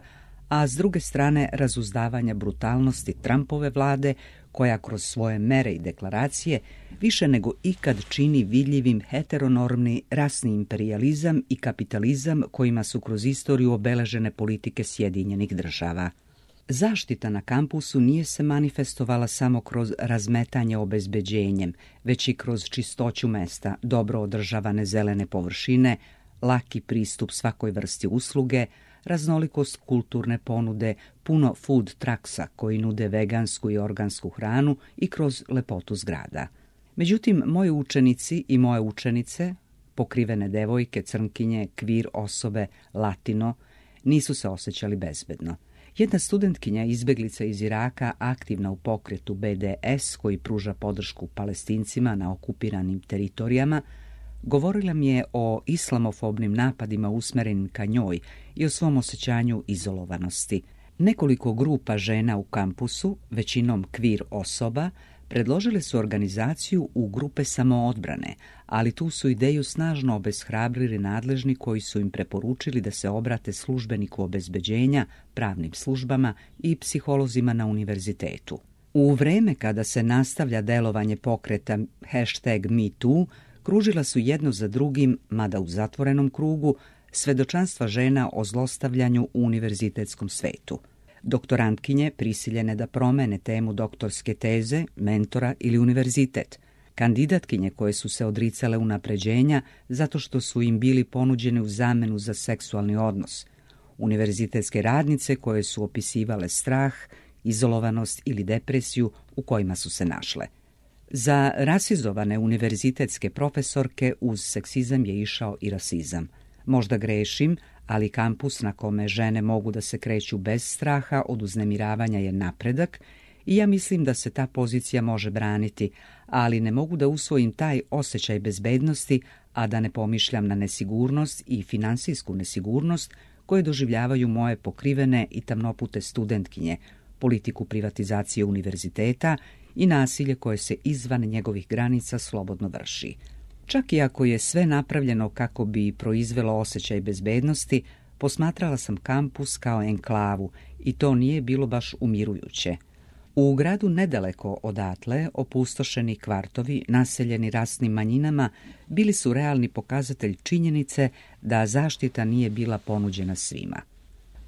a s druge strane razuzdavanja brutalnosti Trumpove vlade, koja kroz svoje mere i deklaracije više nego ikad čini vidljivim heteronormni rasni imperijalizam i kapitalizam kojima su kroz istoriju obeležene politike Sjedinjenih država. Zaštita na kampusu nije se manifestovala samo kroz razmetanje obezbeđenjem, već i kroz čistoću mesta, dobro održavane zelene površine, laki pristup svakoj vrsti usluge, raznolikost kulturne ponude, puno food trucksa koji nude vegansku i organsku hranu i kroz lepotu zgrada. Međutim, moji učenici i moje učenice, pokrivene devojke, crnkinje, kvir osobe, latino, nisu se osjećali bezbedno. Jedna studentkinja, izbeglica iz Iraka, aktivna u pokretu B D S koji pruža podršku Palestincima na okupiranim teritorijama, govorila mi je o islamofobnim napadima usmerenim ka njoj i o svom osjećanju izolovanosti. Nekoliko grupa žena u kampusu, većinom kvir osoba, predložile su organizaciju u grupe samoodbrane, ali tu su ideju snažno obeshrabrili nadležni koji su im preporučili da se obrate službeniku obezbeđenja, pravnim službama i psiholozima na univerzitetu. U vreme kada se nastavlja delovanje pokreta hashtag MeToo, kružila su jedno za drugim, mada u zatvorenom krugu, svedočanstva žena o zlostavljanju u univerzitetskom svetu. Doktorantkinje prisiljene da promene temu doktorske teze, mentora ili univerzitet. Kandidatkinje koje su se odricale unapređenja zato što su im bili ponuđene u zamenu za seksualni odnos. Univerzitetske radnice koje su opisivale strah, izolovanost ili depresiju u kojima su se našle. Za rasizovane univerzitetske profesorke uz seksizam je išao i rasizam. Možda grešim, ali kampus na kome žene mogu da se kreću bez straha od uznemiravanja je napredak i ja mislim da se ta pozicija može braniti, ali ne mogu da usvojim taj osjećaj bezbednosti, a da ne pomišljam na nesigurnost i finansijsku nesigurnost koje doživljavaju moje pokrivene i tamnopute studentkinje, politiku privatizacije univerziteta i nasilje koje se izvan njegovih granica slobodno vrši. Čak i ako je sve napravljeno kako bi proizvelo osjećaj bezbednosti, posmatrala sam kampus kao enklavu i to nije bilo baš umirujuće. U gradu nedaleko odatle, opustošeni kvartovi, naseljeni rasnim manjinama, bili su realni pokazatelj činjenice da zaštita nije bila ponuđena svima.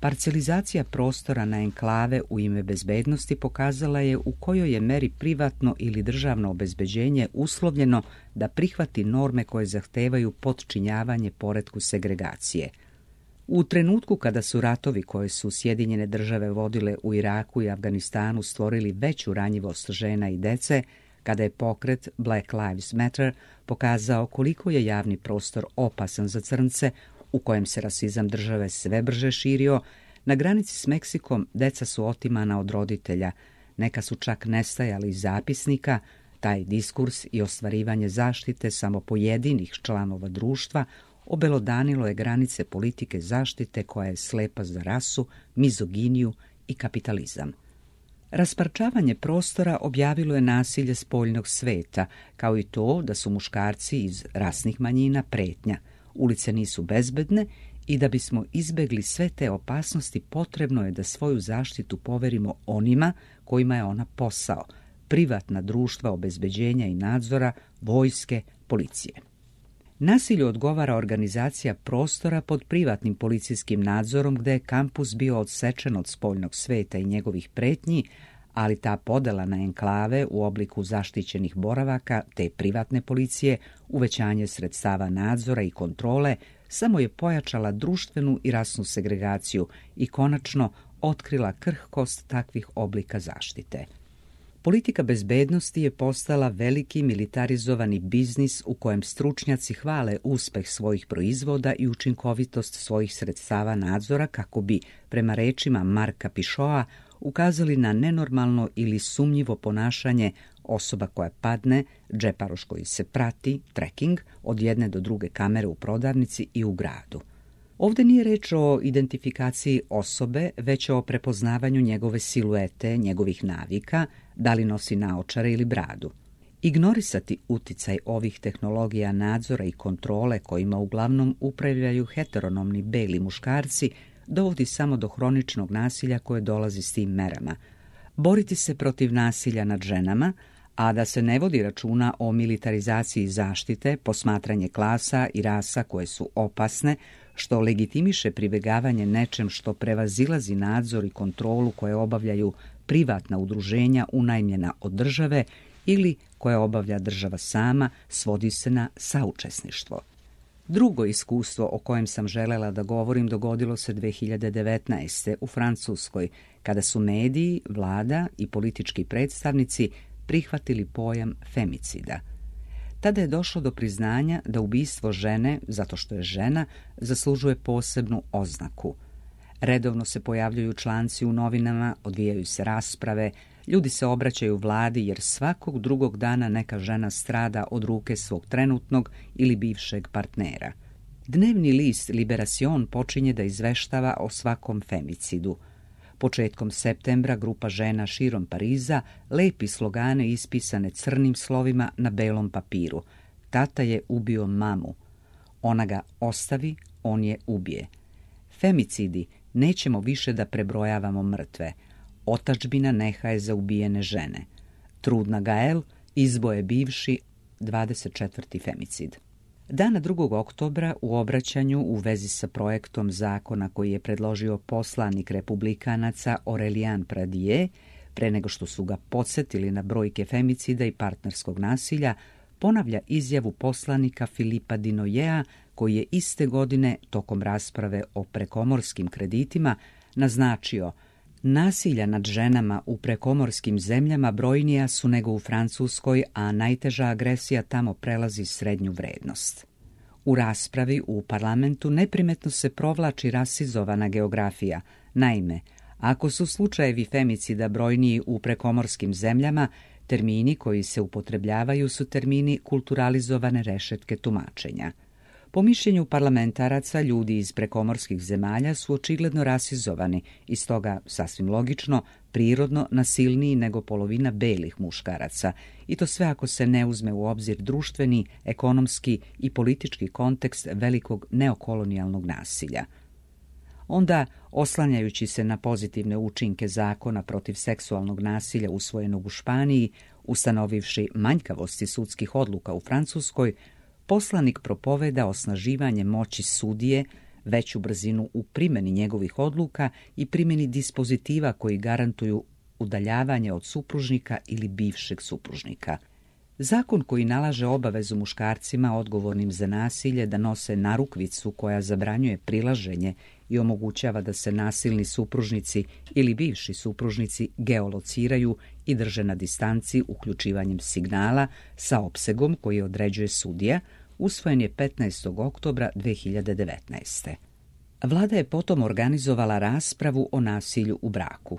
Parcelizacija prostora na enklave u ime bezbednosti pokazala je u kojoj je meri privatno ili državno obezbeđenje uslovljeno da prihvati norme koje zahtevaju potčinjavanje poretku segregacije. U trenutku kada su ratovi koje su Sjedinjene države vodile u Iraku i Afganistanu stvorili veću ranjivost žena i dece, kada je pokret Black Lives Matter pokazao koliko je javni prostor opasan za crnce, u kojem se rasizam države sve brže širio, na granici s Meksikom deca su otimana od roditelja, neka su čak nestajali iz zapisnika, taj diskurs i ostvarivanje zaštite samo pojedinih članova društva obelodanilo je granice politike zaštite koja je slepa za rasu, mizoginiju i kapitalizam. Rasparčavanje prostora objavilo je nasilje spoljnog sveta, kao i to da su muškarci iz rasnih manjina pretnja. Ulice nisu bezbedne i da bismo izbegli sve te opasnosti potrebno je da svoju zaštitu poverimo onima kojima je ona posao, privatna društva obezbeđenja i nadzora, vojske, policije. Nasilju odgovara organizacija prostora pod privatnim policijskim nadzorom gde je kampus bio odsečen od spoljnog sveta i njegovih pretnji, ali ta podela na enklave u obliku zaštićenih boravaka te privatne policije, uvećanje sredstava nadzora i kontrole, samo je pojačala društvenu i rasnu segregaciju i konačno otkrila krhkost takvih oblika zaštite. Politika bezbednosti je postala veliki militarizovani biznis u kojem stručnjaci hvale uspeh svojih proizvoda i učinkovitost svojih sredstava nadzora kako bi, prema rečima Marka Pišoa, ukazali na nenormalno ili sumnjivo ponašanje osoba koja padne, džeparoš koji se prati, tracking, od jedne do druge kamere u prodavnici i u gradu. Ovdje nije reč o identifikaciji osobe, već o prepoznavanju njegove siluete, njegovih navika, da li nosi naočare ili bradu. Ignorisati uticaj ovih tehnologija nadzora i kontrole kojima uglavnom upravljaju heteronomni beli muškarci dovodi samo do hroničnog nasilja koje dolazi s tim merama. Boriti se protiv nasilja nad ženama, a da se ne vodi računa o militarizaciji zaštite, posmatranje klasa i rasa koje su opasne, što legitimiše pribjegavanje nečem što prevazilazi nadzor i kontrolu koje obavljaju privatna udruženja unajmljena od države ili koje obavlja država sama, svodi se na saučesništvo. Drugo iskustvo o kojem sam želela da govorim dogodilo se dve hiljade devetnaeste. u Francuskoj, kada su mediji, vlada i politički predstavnici prihvatili pojam femicida. Tada je došlo do priznanja da ubistvo žene, zato što je žena, zaslužuje posebnu oznaku. Redovno se pojavljuju članci u novinama, odvijaju se rasprave, ljudi se obraćaju vladi jer svakog drugog dana neka žena strada od ruke svog trenutnog ili bivšeg partnera. Dnevni list Liberacion počinje da izveštava o svakom femicidu. Početkom septembra grupa žena širom Pariza lepi slogane ispisane crnim slovima na belom papiru. Tata je ubio mamu. Ona ga ostavi, on je ubije. Femicidi, nećemo više da prebrojavamo mrtve. Otadžbina nehaje za ubijene žene. Trudna Gael, izboje bivši, dvadeset četvrti femicid. Dana drugog oktobra u obraćanju u vezi sa projektom zakona koji je predložio poslanik republikanaca Aurélien Pradier, pre nego što su ga podsjetili na brojke femicida i partnerskog nasilja, ponavlja izjavu poslanika Filipa Dinoyea, koji je iste godine, tokom rasprave o prekomorskim kreditima, naznačio: nasilja nad ženama u prekomorskim zemljama brojnija su nego u Francuskoj, a najteža agresija tamo prelazi srednju vrednost. U raspravi u parlamentu neprimetno se provlači rasizovana geografija. Naime, ako su slučajevi femicida brojniji u prekomorskim zemljama, termini koji se upotrebljavaju su termini kulturalizovane rešetke tumačenja. Po mišljenju parlamentaraca, ljudi iz prekomorskih zemalja su očigledno rasizovani i stoga, sasvim logično, prirodno nasilniji nego polovina belih muškaraca, i to sve ako se ne uzme u obzir društveni, ekonomski i politički kontekst velikog neokolonijalnog nasilja. Onda, oslanjajući se na pozitivne učinke zakona protiv seksualnog nasilja usvojenog u Španiji, ustanovivši manjkavosti sudskih odluka u Francuskoj, poslanik propoveda osnaživanje moći sudije, veću brzinu u primjeni njegovih odluka i primjeni dispozitiva koji garantuju udaljavanje od supružnika ili bivšeg supružnika. Zakon koji nalaže obavezu muškarcima odgovornim za nasilje da nose narukvicu koja zabranjuje prilaženje i omogućava da se nasilni supružnici ili bivši supružnici geolociraju i drže na distanci uključivanjem signala sa opsegom koji određuje sudija, usvojen je petnaestog oktobra dve hiljade devetnaeste. Vlada je potom organizovala raspravu o nasilju u braku.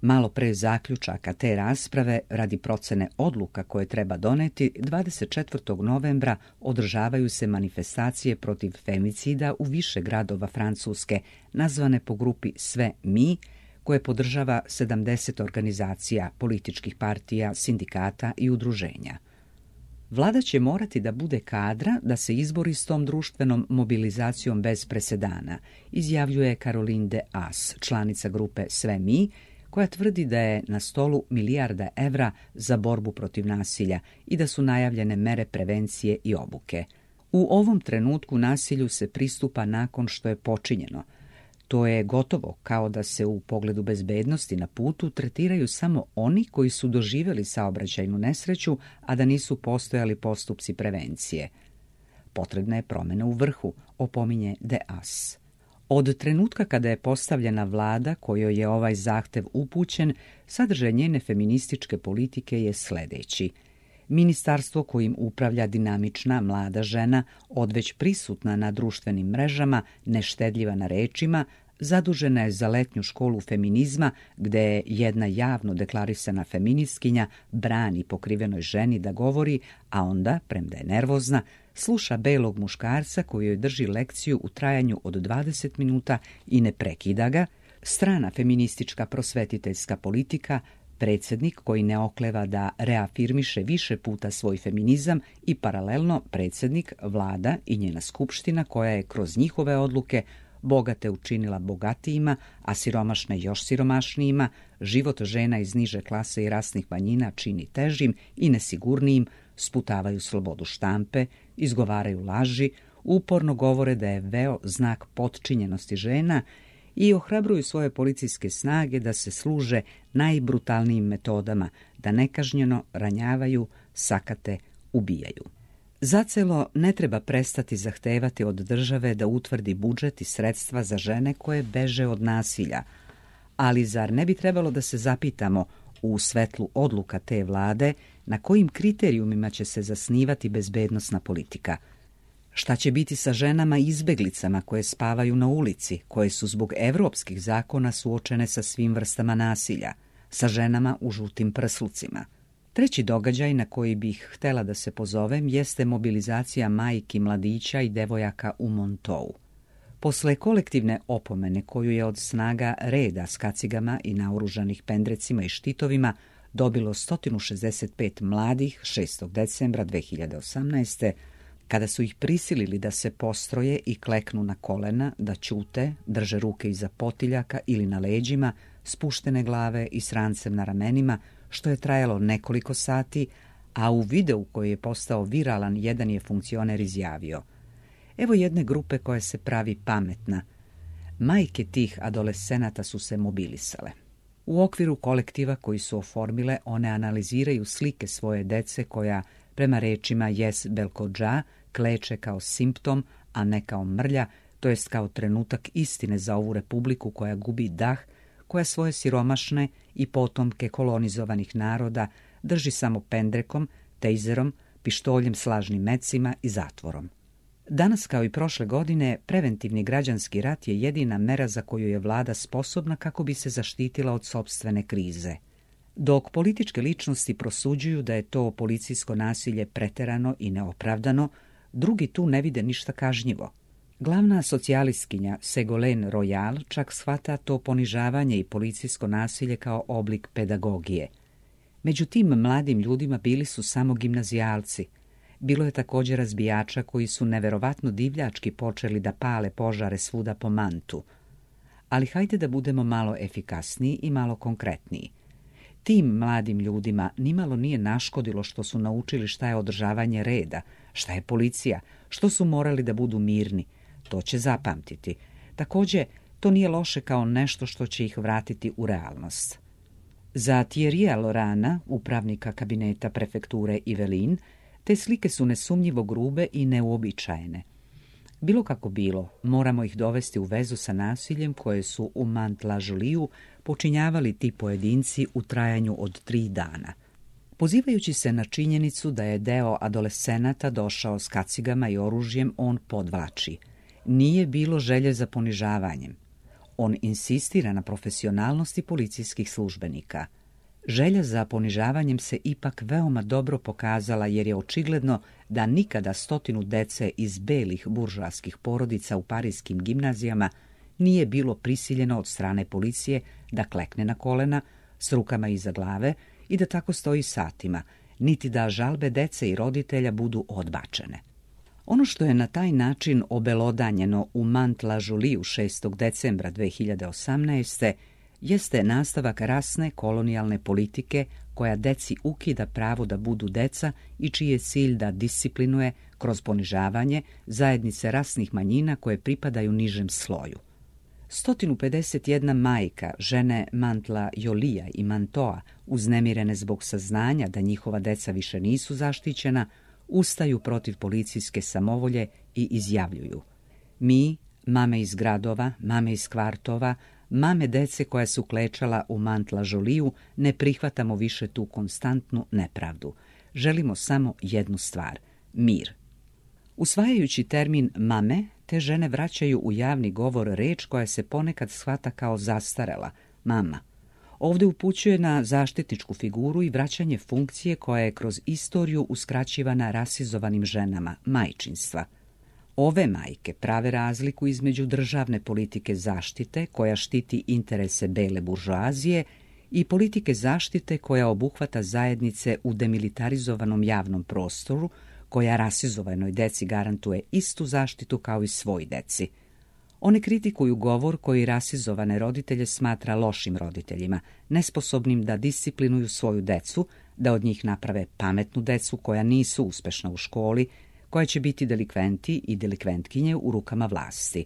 Malo pre zaključaka te rasprave, radi procene odluka koje treba doneti, dvadeset četvrtog novembra održavaju se manifestacije protiv femicida u više gradova Francuske, nazvane po grupi Sve mi, koje podržava sedamdeset organizacija, političkih partija, sindikata i udruženja. Vlada će morati da bude kadra da se izbori s tom društvenom mobilizacijom bez presedana, izjavljuje Caroline de As, članica grupe Sve mi, koja tvrdi da je na stolu milijarda evra za borbu protiv nasilja i da su najavljene mere prevencije i obuke. U ovom trenutku nasilju se pristupa nakon što je počinjeno. To je gotovo kao da se u pogledu bezbednosti na putu tretiraju samo oni koji su doživjeli saobraćajnu nesreću, a da nisu postojali postupci prevencije. Potrebna je promjena u vrhu, opominje de As. Od trenutka kada je postavljena vlada kojoj je ovaj zahtev upućen, sadržaj njene feminističke politike je sljedeći. Ministarstvo kojim upravlja dinamična mlada žena, odveć prisutna na društvenim mrežama, neštedljiva na rečima, Zadužena je za letnju školu feminizma, gde jedna javno deklarisana feministkinja brani pokrivenoj ženi da govori, a onda, premda je nervozna, sluša belog muškarca koji joj drži lekciju u trajanju od dvadeset minuta i ne prekida ga, strana feministička prosvetiteljska politika, predsjednik koji ne okleva da reafirmiše više puta svoj feminizam i paralelno predsjednik, vlada i njena skupština koja je kroz njihove odluke bogate učinila bogatijima, a siromašne još siromašnijima, život žena iz niže klase i rasnih manjina čini težim i nesigurnijim, sputavaju slobodu štampe, izgovaraju laži, uporno govore da je veo znak potčinjenosti žena i ohrabruju svoje policijske snage da se služe najbrutalnijim metodama, da nekažnjeno ranjavaju, sakate, ubijaju. Zacelo ne treba prestati zahtevati od države da utvrdi budžet i sredstva za žene koje beže od nasilja, ali zar ne bi trebalo da se zapitamo u svetlu odluka te vlade na kojim kriterijumima će se zasnivati bezbednosna politika? Šta će biti sa ženama izbeglicama koje spavaju na ulici, koje su zbog evropskih zakona suočene sa svim vrstama nasilja, sa ženama u žutim prslucima? Treći događaj na koji bih htjela da se pozovem jeste mobilizacija majki, mladića i devojaka u Montou. Posle kolektivne opomene koju je od snaga reda s kacigama i naoružanih pendrecima i štitovima dobilo sto šezdeset pet mladih šestog decembra dve hiljade osamnaeste. kada su ih prisilili da se postroje i kleknu na kolena, da ćute, drže ruke iza potiljaka ili na leđima, spuštene glave i s rancem na ramenima, što je trajalo nekoliko sati, a u videu koji je postao viralan jedan je funkcioner izjavio: evo jedne grupe koja se pravi pametna. Majke tih adolescenata su se mobilisale. U okviru kolektiva koji su oformile, one analiziraju slike svoje dece koja, prema rečima Jes Belkodža, kleče kao simptom, a ne kao mrlja, to jest kao trenutak istine za ovu republiku koja gubi dah, koja svoje siromašne i potomke kolonizovanih naroda drži samo pendrekom, tejzerom, pištoljem s lažnim mecima i zatvorom. Danas, kao i prošle godine, preventivni građanski rat je jedina mera za koju je vlada sposobna kako bi se zaštitila od sopstvene krize. Dok političke ličnosti prosuđuju da je to policijsko nasilje preterano i neopravdano, drugi tu ne vide ništa kažnjivo. Glavna socijalistkinja Ségolène Royal čak shvata to ponižavanje i policijsko nasilje kao oblik pedagogije. Među tim mladim ljudima bili su samo gimnazijalci. Bilo je također razbijača koji su neverovatno divljački počeli da pale požare svuda po Mantu. Ali hajde da budemo malo efikasniji i malo konkretniji. Tim mladim ljudima nimalo nije naškodilo što su naučili šta je održavanje reda, šta je policija, što su morali da budu mirni. To će zapamtiti. Također, to nije loše kao nešto što će ih vratiti u realnost. Za Thierrya Lorana, upravnika kabineta prefekture Yvelines, te slike su nesumnjivo grube i neuobičajene. Bilo kako bilo, moramo ih dovesti u vezu sa nasiljem koje su u Mantes-la-Jolieju počinjavali ti pojedinci u trajanju od tri dana. Pozivajući se na činjenicu da je deo adolescenata došao s kacigama i oružjem, on podvlači: nije bilo želje za ponižavanjem. On insistira na profesionalnosti policijskih službenika. Želja za ponižavanjem se ipak veoma dobro pokazala, jer je očigledno da nikada stotinu dece iz belih buržoaskih porodica u parijskim gimnazijama nije bilo prisiljeno od strane policije da klekne na kolena s rukama iza glave i da tako stoji satima, niti da žalbe dece i roditelja budu odbačene. Ono što je na taj način obelodanjeno u Mantes-la-Jolieju šestog decembra dve hiljade osamnaeste. jeste nastavak rasne kolonijalne politike koja deci ukida pravo da budu deca i čiji je cilj da disciplinuje kroz ponižavanje zajednice rasnih manjina koje pripadaju nižem sloju. sto pedeset jedna majka, žene Mantes-la-Jolieja i Mantoa, uznemirene zbog saznanja da njihova deca više nisu zaštićena, ustaju protiv policijske samovolje i izjavljuju: mi, mame iz gradova, mame iz kvartova, mame dece koja su klečala u Mantes-la-Jolieju, ne prihvatamo više tu konstantnu nepravdu. Želimo samo jednu stvar – mir. Usvajajući termin mame, te žene vraćaju u javni govor reč koja se ponekad shvata kao zastarela, mama. Ovdje upućuje na zaštitničku figuru i vraćanje funkcije koja je kroz istoriju uskraćivana rasizovanim ženama, majčinstva. Ove majke prave razliku između državne politike zaštite, koja štiti interese bele buržoazije, i politike zaštite koja obuhvata zajednice u demilitarizovanom javnom prostoru, koja rasizovanoj deci garantuje istu zaštitu kao i svoj deci. One kritikuju govor koji rasizovane roditelje smatra lošim roditeljima, nesposobnim da disciplinuju svoju decu, da od njih naprave pametnu decu koja nisu uspešna u školi, koja će biti delikventi i delikventkinje u rukama vlasti.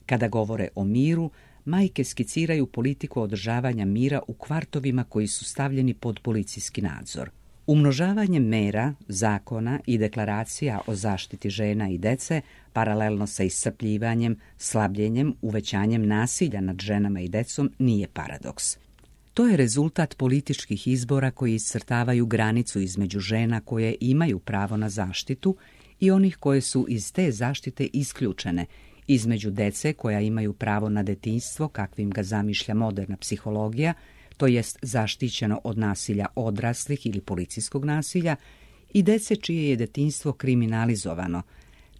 Kada govore o miru, majke skiciraju politiku održavanja mira u kvartovima koji su stavljeni pod policijski nadzor. Umnožavanjem mera, zakona i deklaracija o zaštiti žena i dece, paralelno sa iscrpljivanjem, slabljenjem, uvećanjem nasilja nad ženama i decom, nije paradoks. To je rezultat političkih izbora koji iscrtavaju granicu između žena koje imaju pravo na zaštitu i onih koje su iz te zaštite isključene, između dece koja imaju pravo na detinjstvo kakvim ga zamišlja moderna psihologija, to jest zaštićeno od nasilja odraslih ili policijskog nasilja, i dece čije je detinjstvo kriminalizovano.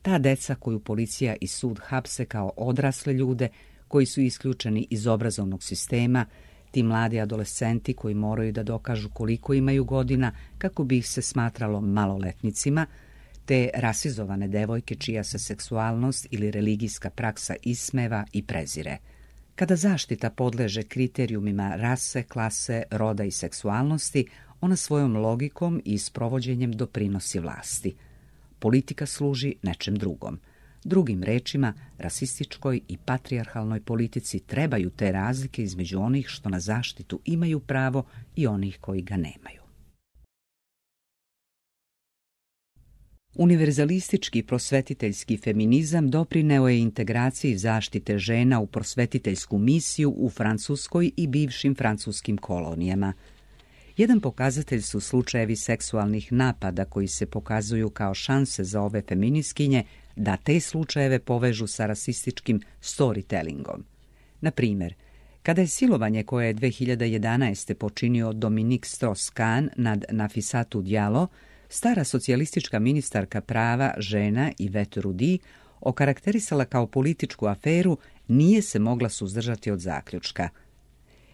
Ta deca koju policija i sud hapse kao odrasle ljude koji su isključeni iz obrazovnog sistema, ti mladi adolescenti koji moraju da dokažu koliko imaju godina kako bi ih se smatralo maloletnicima, te rasizovane devojke čija se seksualnost ili religijska praksa ismeva i prezire. Kada zaštita podleže kriterijumima rase, klase, roda i seksualnosti, ona svojom logikom i sprovođenjem doprinosi vlasti. Politika služi nečem drugom. Drugim rečima, rasističkoj i patrijarhalnoj politici trebaju te razlike između onih što na zaštitu imaju pravo i onih koji ga nemaju. Univerzalistički prosvetiteljski feminizam doprineo je integraciji zaštite žena u prosvetiteljsku misiju u Francuskoj i bivšim francuskim kolonijama. Jedan pokazatelj su slučajevi seksualnih napada koji se pokazuju kao šanse za ove feministkinje da te slučajeve povežu sa rasističkim storytellingom. Na primjer, kada je silovanje koje je dve hiljade jedanaeste. počinio Dominique Strauss-Kahn nad Nafissatou Diallo, stara socijalistička ministarka prava, žena Yvette Roudy okarakterisala kao političku aferu, nije se mogla suzdržati od zaključka.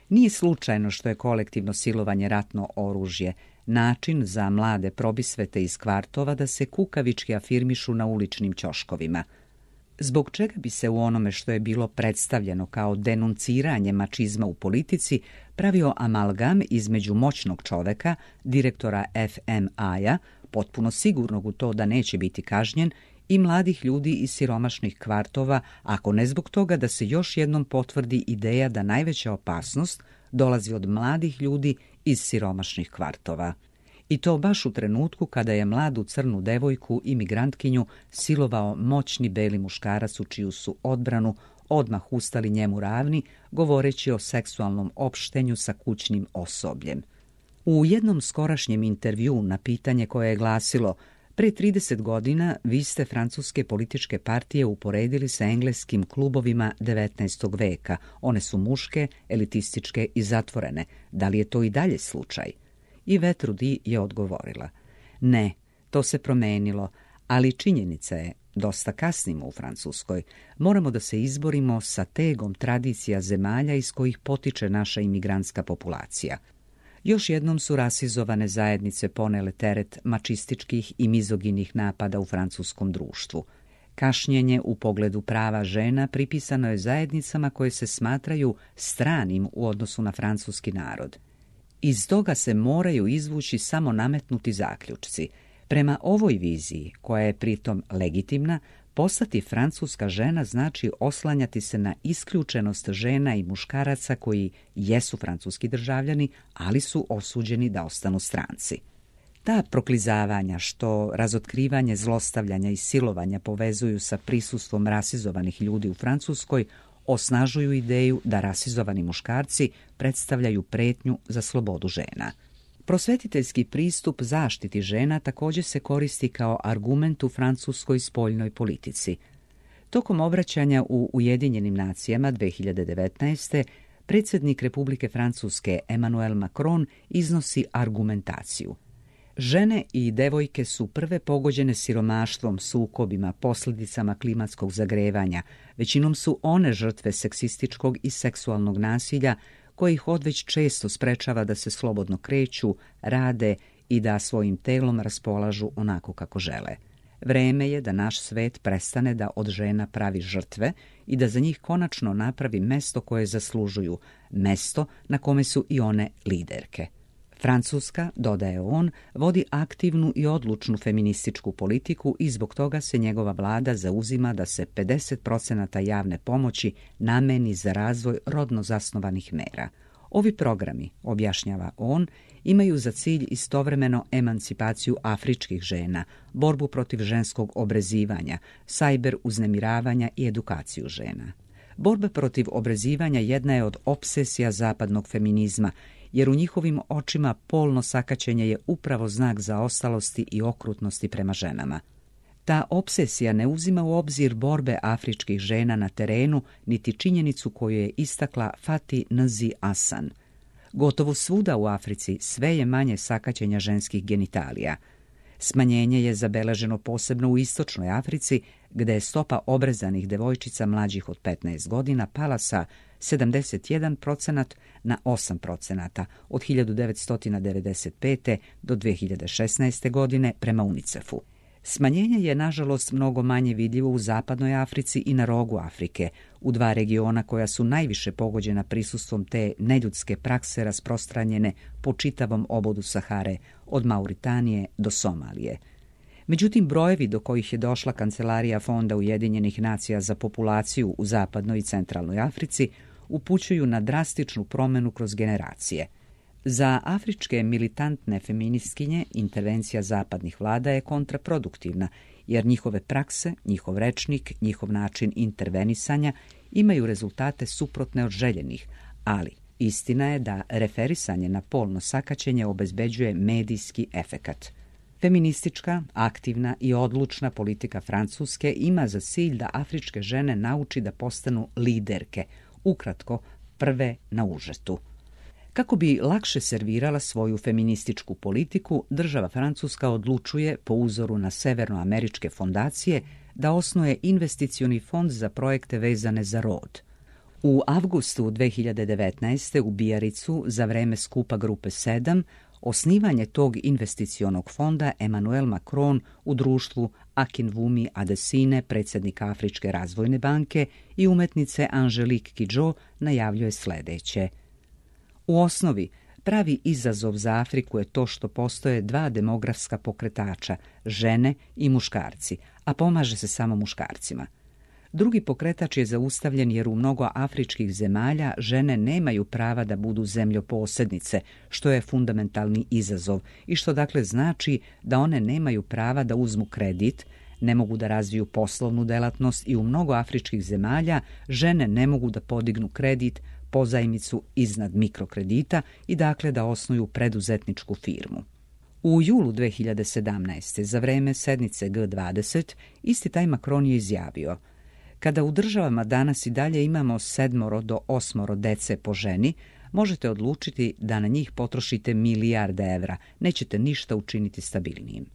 Nije slučajno što je kolektivno silovanje ratno oružje, način za mlade probisvete iz kvartova da se kukavički afirmišu na uličnim ćoškovima. Zbog čega bi se u onome što je bilo predstavljeno kao denunciranje mačizma u politici pravio amalgam između moćnog čoveka, direktora F M A-ja, potpuno sigurnog u to da neće biti kažnjen, i mladih ljudi iz siromašnih kvartova, ako ne zbog toga da se još jednom potvrdi ideja da najveća opasnost dolazi od mladih ljudi iz siromašnih kvartova. I to baš u trenutku kada je mladu crnu devojku, imigrantkinju, silovao moćni beli muškarac u čiju su odbranu odmah ustali njemu ravni, govoreći o seksualnom opštenju sa kućnim osobljem. U jednom skorašnjem intervjuu na pitanje koje je glasilo pre trideset godina vi ste francuske političke partije uporedili sa engleskim klubovima devetnaestog veka. One su muške, elitističke i zatvorene. Da li je to i dalje slučaj? Yvette Roudy je odgovorila: ne, to se promenilo, ali činjenica je, dosta kasnimo u Francuskoj. Moramo da se izborimo sa tegom tradicija zemalja iz kojih potiče naša imigrantska populacija. Još jednom su rasizovane zajednice ponele teret mačističkih i mizoginih napada u francuskom društvu. Kašnjenje u pogledu prava žena pripisano je zajednicama koje se smatraju stranim u odnosu na francuski narod. Iz toga se moraju izvući samo nametnuti zaključci. Prema ovoj viziji, koja je pritom legitimna, postati francuska žena znači oslanjati se na isključenost žena i muškaraca koji jesu francuski državljani, ali su osuđeni da ostanu stranci. Ta proklizavanja što razotkrivanje zlostavljanja i silovanja povezuju sa prisustvom rasizovanih ljudi u Francuskoj osnažuju ideju da rasizovani muškarci predstavljaju pretnju za slobodu žena. Prosvetiteljski pristup zaštiti žena također se koristi kao argument u francuskoj spoljnoj politici. Tokom obraćanja u Ujedinjenim nacijama dvije hiljade devetnaeste. predsjednik Republike Francuske Emmanuel Macron iznosi argumentaciju. Žene i devojke su prve pogođene siromaštvom, sukobima, posljedicama klimatskog zagrevanja. Većinom su one žrtve seksističkog i seksualnog nasilja koje ih odveć često sprečava da se slobodno kreću, rade i da svojim telom raspolažu onako kako žele. Vreme je da naš svet prestane da od žena pravi žrtve i da za njih konačno napravi mesto koje zaslužuju, mesto na kome su i one liderke. Francuska, dodaje on, vodi aktivnu i odlučnu feminističku politiku i zbog toga se njegova vlada zauzima da se pedeset posto javne pomoći nameni za razvoj rodno zasnovanih mera. Ovi programi, objašnjava on, imaju za cilj istovremeno emancipaciju afričkih žena, borbu protiv ženskog obrezivanja, sajber uznemiravanja i edukaciju žena. Borba protiv obrezivanja jedna je od opsesija zapadnog feminizma, jer u njihovim očima polno sakaćenje je upravo znak zaostalosti i okrutnosti prema ženama. Ta opsesija ne uzima u obzir borbe afričkih žena na terenu, niti činjenicu koju je istakla Fati Nzi Asan. Gotovo svuda u Africi sve je manje sakaćenja ženskih genitalija. Smanjenje je zabeleženo posebno u istočnoj Africi, gde je stopa obrezanih devojčica mlađih od petnaest godina pala sa sedamdeset jedan procenat na osam procenata od hiljadu devetsto devedeset pete. do dvije hiljade šesnaeste. godine prema UNICEF-u. Smanjenje je, nažalost, mnogo manje vidljivo u zapadnoj Africi i na rogu Afrike, u dva regiona koja su najviše pogođena prisustvom te neljudske prakse rasprostranjene po čitavom obodu Sahare, od Mauritanije do Somalije. Međutim, brojevi do kojih je došla Kancelarija Fonda Ujedinjenih nacija za populaciju u zapadnoj i centralnoj Africi upućuju na drastičnu promjenu kroz generacije. Za afričke militantne feministkinje intervencija zapadnih vlada je kontraproduktivna, jer njihove prakse, njihov rečnik, njihov način intervenisanja imaju rezultate suprotne od željenih, ali istina je da referisanje na polno sakaćenje obezbeđuje medijski efekat. Feministička, aktivna i odlučna politika Francuske ima za cilj da afričke žene nauči da postanu liderke, ukratko prve na užetu. Kako bi lakše servirala svoju feminističku politiku, država Francuska odlučuje, po uzoru na severnoameričke fondacije, da osnuje investicioni fond za projekte vezane za rod. U avgustu dvije hiljade devetnaeste. u Bijaricu, za vreme skupa grupe sedam, osnivanje tog investicionog fonda Emmanuel Macron u društvu Akinwumi Adesine, predsjednika Afričke razvojne banke, i umetnice Angelique Kidjo najavljuje sljedeće. U osnovi, pravi izazov za Afriku je to što postoje dva demografska pokretača, žene i muškarci, a pomaže se samo muškarcima. Drugi pokretač je zaustavljen jer u mnogo afričkih zemalja žene nemaju prava da budu zemljoposjednice, što je fundamentalni izazov i što dakle znači da one nemaju prava da uzmu kredit, ne mogu da razviju poslovnu delatnost i u mnogo afričkih zemalja žene ne mogu da podignu kredit, pozajmicu iznad mikrokredita i dakle da osnuju preduzetničku firmu. U julu dvije hiljade sedamnaeste. za vreme sednice G dvadeset isti taj Macron je izjavio: kada u državama danas i dalje imamo sedmoro do osmoro dece po ženi, možete odlučiti da na njih potrošite milijarde evra, nećete ništa učiniti stabilnijim.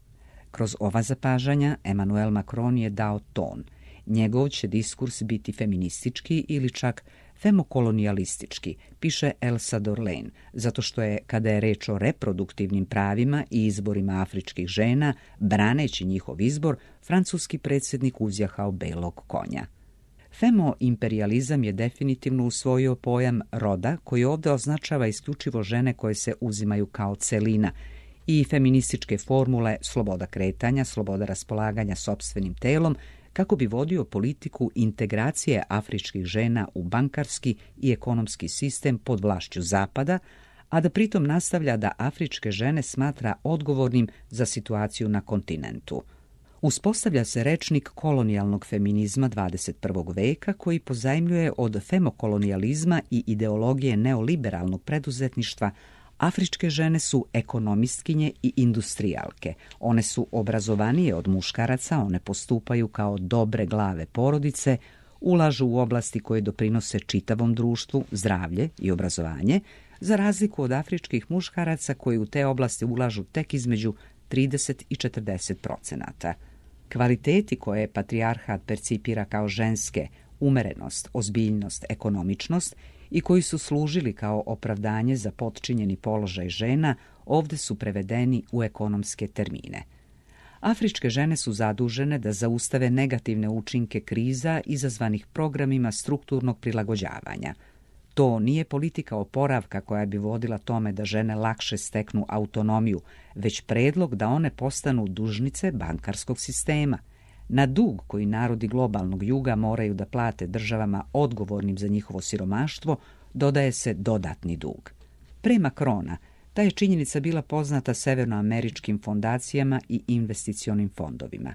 Kroz ova zapažanja Emmanuel Macron je dao ton. Njegov će diskurs biti feministički ili čak femokolonijalistički, piše Elsa Dorlain, zato što je, kada je reč o reproduktivnim pravima i izborima afričkih žena, braneći njihov izbor, francuski predsjednik uzjahao belog konja. Femoimperializam je definitivno usvojio pojam roda, koji ovdje označava isključivo žene koje se uzimaju kao celina, i feminističke formule sloboda kretanja, sloboda raspolaganja sopstvenim telom, kako bi vodio politiku integracije afričkih žena u bankarski i ekonomski sistem pod vlašću Zapada, a da pritom nastavlja da afričke žene smatra odgovornim za situaciju na kontinentu. Uspostavlja se rečnik kolonijalnog feminizma dvadeset prvog veka koji pozajmljuje od femokolonijalizma i ideologije neoliberalnog preduzetništva Afričke žene su ekonomistkinje i industrijalke. One su obrazovanije od muškaraca, one postupaju kao dobre glave porodice, ulažu u oblasti koje doprinose čitavom društvu, zdravlje i obrazovanje, za razliku od afričkih muškaraca koji u te oblasti ulažu tek između trideset i četrdeset procenata. Kvaliteti koje patrijarhat percipira kao ženske, umerenost, ozbiljnost, ekonomičnost i koji su služili kao opravdanje za potčinjeni položaj žena, ovdje su prevedeni u ekonomske termine. Afričke žene su zadužene da zaustave negativne učinke kriza izazvanih programima strukturnog prilagođavanja. To nije politika oporavka koja bi vodila tome da žene lakše steknu autonomiju, već predlog da one postanu dužnice bankarskog sistema. Na dug koji narodi globalnog juga moraju da plate državama odgovornim za njihovo siromaštvo, dodaje se dodatni dug. Pre Macrona, ta je činjenica bila poznata severnoameričkim fondacijama i investicionim fondovima.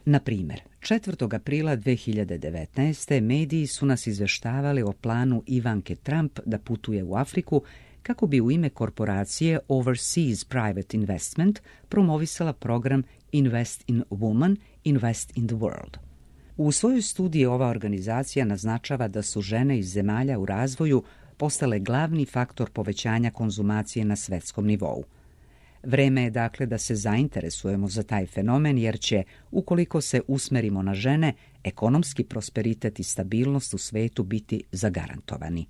Na primjer, četvrtog aprila dve hiljade devetnaeste. mediji su nas izveštavali o planu Ivanke Trump da putuje u Afriku kako bi u ime korporacije Overseas Private Investment promovisala program Invest in Women, Invest in the World. U svojoj studiji ova organizacija naznačava da su žene iz zemalja u razvoju postale glavni faktor povećanja konzumacije na svetskom nivou. Vreme je dakle da se zainteresujemo za taj fenomen jer će, ukoliko se usmerimo na žene, ekonomski prosperitet i stabilnost u svetu biti zagarantovani.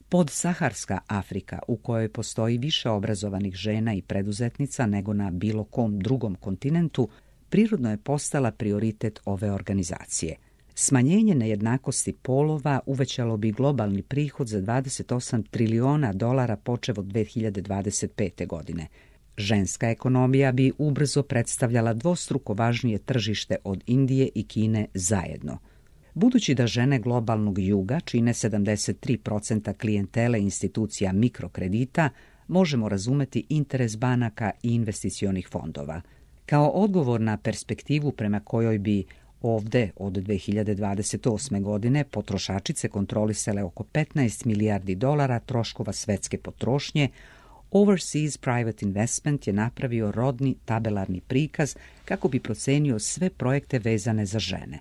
Podsaharska Afrika, u kojoj postoji više obrazovanih žena i preduzetnica nego na bilo kom drugom kontinentu, prirodno je postala prioritet ove organizacije. Smanjenje nejednakosti polova uvećalo bi globalni prihod za dvadeset osam triliona dolara počev od dve hiljade dvadeset pete. godine. Ženska ekonomija bi ubrzo predstavljala dvostruko važnije tržište od Indije i Kine zajedno. Budući da žene globalnog juga čine sedamdeset tri posto klijentele institucija mikrokredita, možemo razumeti interes banaka i investicionih fondova. Kao odgovor na perspektivu prema kojoj bi ovde od dve hiljade dvadeset osme. godine potrošačice kontrolisale oko petnaest milijardi dolara troškova svetske potrošnje, Overseas Private Investment je napravio rodni tabelarni prikaz kako bi procenio sve projekte vezane za žene.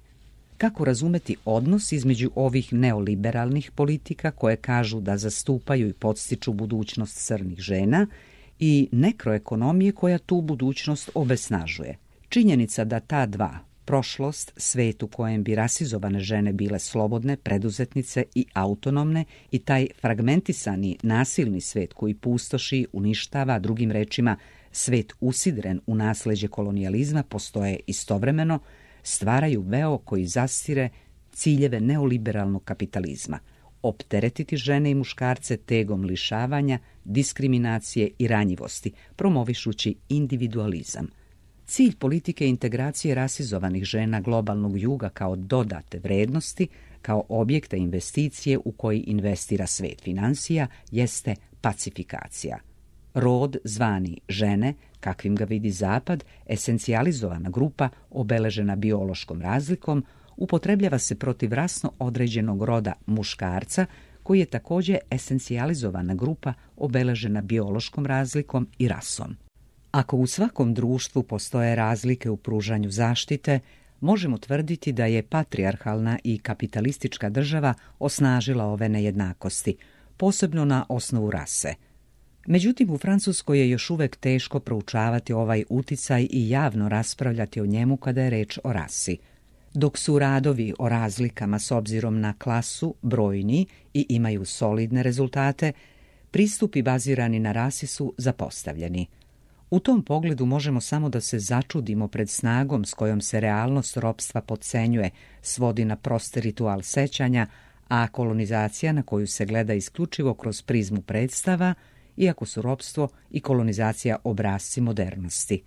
Kako razumeti odnos između ovih neoliberalnih politika koje kažu da zastupaju i podstiču budućnost crnih žena i nekroekonomije koja tu budućnost obesnažuje? Činjenica da ta dva, prošlost, svet u kojem bi rasizovane žene bile slobodne, preduzetnice i autonomne, i taj fragmentisani, nasilni svet koji pustoši, uništava, drugim rečima, svet usidren u nasleđe kolonijalizma, postoje istovremeno, stvaraju veo koji zastire ciljeve neoliberalnog kapitalizma. Opteretiti žene i muškarce tegom lišavanja, diskriminacije i ranjivosti, promovišući individualizam. Cilj politike integracije rasizovanih žena globalnog juga kao dodate vrednosti, kao objekta investicije u koji investira svet financija, jeste pacifikacija. Rod zvani žene, kakvim ga vidi Zapad, esencijalizovana grupa obeležena biološkom razlikom, upotrebljava se protiv rasno određenog roda muškarca, koji je također esencijalizovana grupa obeležena biološkom razlikom i rasom. Ako u svakom društvu postoje razlike u pružanju zaštite, možemo tvrditi da je patrijarhalna i kapitalistička država osnažila ove nejednakosti, posebno na osnovu rase. Međutim, u Francuskoj je još uvek teško proučavati ovaj uticaj i javno raspravljati o njemu kada je reč o rasi. Dok su radovi o razlikama s obzirom na klasu brojni i imaju solidne rezultate, pristupi bazirani na rasi su zapostavljeni. U tom pogledu možemo samo da se začudimo pred snagom s kojom se realnost ropstva potcenjuje, svodi na prosti ritual sećanja, a kolonizacija na koju se gleda isključivo kroz prizmu predstava, iako su ropstvo i kolonizacija obrasci modernosti.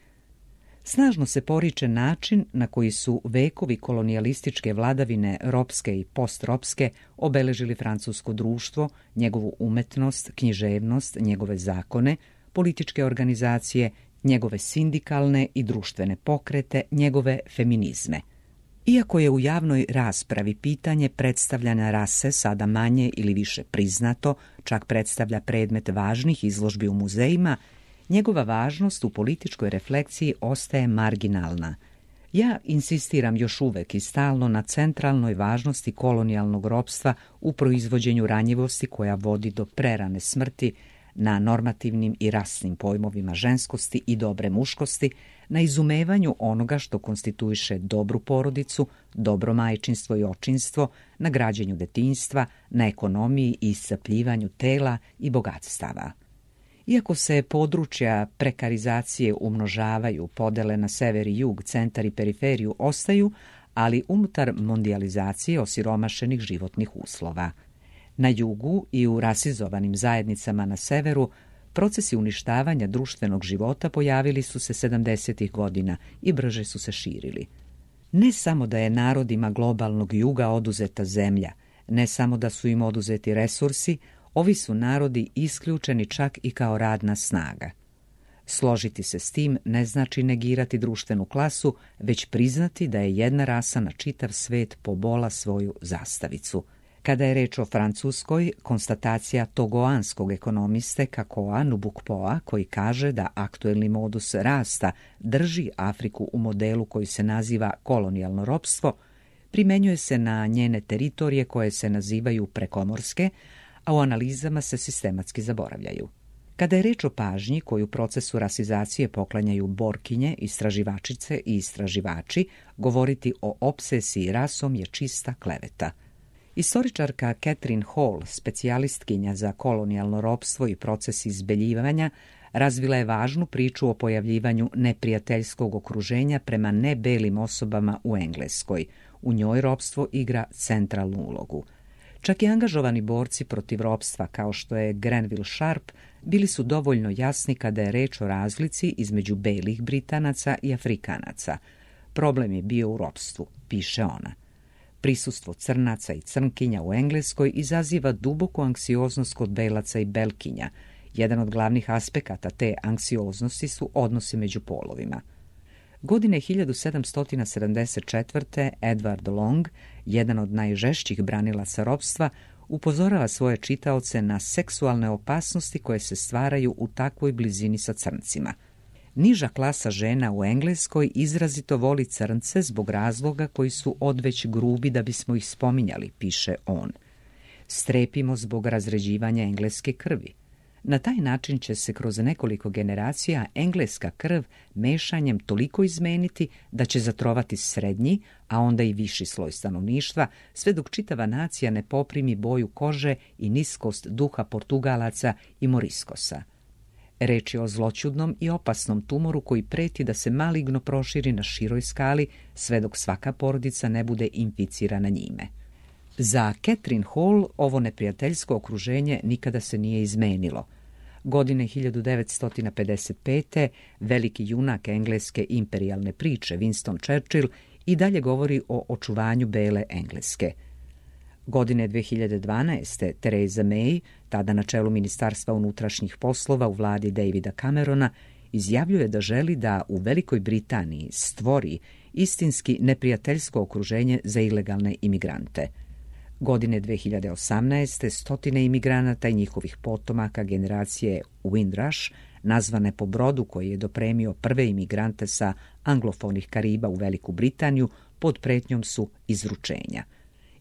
Snažno se poriče način na koji su vekovi kolonijalističke vladavine ropske i postropske obeležili francusko društvo, njegovu umetnost, književnost, njegove zakone, političke organizacije, njegove sindikalne i društvene pokrete, njegove feminizme. Iako je u javnoj raspravi pitanje predstavljanja rase sada manje ili više priznato, čak predstavlja predmet važnih izložbi u muzejima, njegova važnost u političkoj refleksiji ostaje marginalna. Ja insistiram još uvek i stalno na centralnoj važnosti kolonijalnog ropstva u proizvođenju ranjivosti koja vodi do prerane smrti, na normativnim i rasnim pojmovima ženskosti i dobre muškosti, na izumevanju onoga što konstituiše dobru porodicu, dobro majčinstvo i očinstvo, na građenju detinjstva, na ekonomiji i iscrpljivanju tela i bogatstava. Iako se područja prekarizacije umnožavaju, podele na sever i jug, centar i periferiju ostaju, ali unutar mondijalizacije osiromašenih životnih uslova. Na jugu i u rasizovanim zajednicama na severu procesi uništavanja društvenog života pojavili su se sedamdesetih godina i brže su se širili. Ne samo da je narodima globalnog juga oduzeta zemlja, ne samo da su im oduzeti resursi, ovi su narodi isključeni čak i kao radna snaga. Složiti se s tim ne znači negirati društvenu klasu, već priznati da je jedna rasa na čitav svet pobola svoju zastavicu. Kada je reč o Francuskoj, konstatacija togoanskog ekonomiste Kakoa Nubukpoa, koji kaže da aktuelni modus rasta drži Afriku u modelu koji se naziva kolonijalno ropstvo, primenjuje se na njene teritorije koje se nazivaju prekomorske, a u analizama se sistematski zaboravljaju. Kada je reč o pažnji koju procesu rasizacije poklanjaju borkinje, istraživačice i istraživači, govoriti o opsesiji rasom je čista kleveta. Istoričarka Catherine Hall, specijalistkinja za kolonijalno ropstvo i proces izbeljivanja, razvila je važnu priču o pojavljivanju neprijateljskog okruženja prema nebelim osobama u Engleskoj. U njoj ropstvo igra centralnu ulogu. Čak i angažovani borci protiv ropstva, kao što je Grenville Sharp, bili su dovoljno jasni kada je reč o razlici između belih Britanaca i Afrikanaca. Problem je bio u ropstvu, piše ona. Prisustvo crnaca i crnkinja u Engleskoj izaziva duboku anksioznost kod belaca i belkinja. Jedan od glavnih aspekata te anksioznosti su odnosi među polovima. Godine hiljadu sedamsto sedamdeset četvrte. Edward Long, jedan od najžešćih branilaca ropstva, upozorava svoje čitaoce na seksualne opasnosti koje se stvaraju u takvoj blizini sa crncima. Niža klasa žena u Engleskoj izrazito voli crnce zbog razloga koji su odveć grubi da bismo ih spominjali, piše on. Strepimo zbog razređivanja engleske krvi. Na taj način će se kroz nekoliko generacija engleska krv mešanjem toliko izmeniti da će zatrovati srednji, a onda i viši sloj stanovništva, sve dok čitava nacija ne poprimi boju kože i niskost duha Portugalaca i Moriskosa. Reč je o zloćudnom i opasnom tumoru koji preti da se maligno proširi na široj skali, sve dok svaka porodica ne bude inficirana njime. Za Catherine Hall ovo neprijateljsko okruženje nikada se nije izmenilo. Godine hiljadu devetsto pedeset pete. veliki junak engleske imperijalne priče Winston Churchill i dalje govori o očuvanju bele Engleske. Godine dve hiljade dvanaeste. Theresa May, tada na čelu Ministarstva unutrašnjih poslova u vladi Davida Camerona, izjavljuje da želi da u Velikoj Britaniji stvori istinski neprijateljsko okruženje za ilegalne imigrante. Godine dve hiljade osamnaeste. stotine imigranata i njihovih potomaka generacije Windrush, nazvane po brodu koji je dopremio prve imigrante sa anglofonih Kariba u Veliku Britaniju, pod pretnjom su izručenja.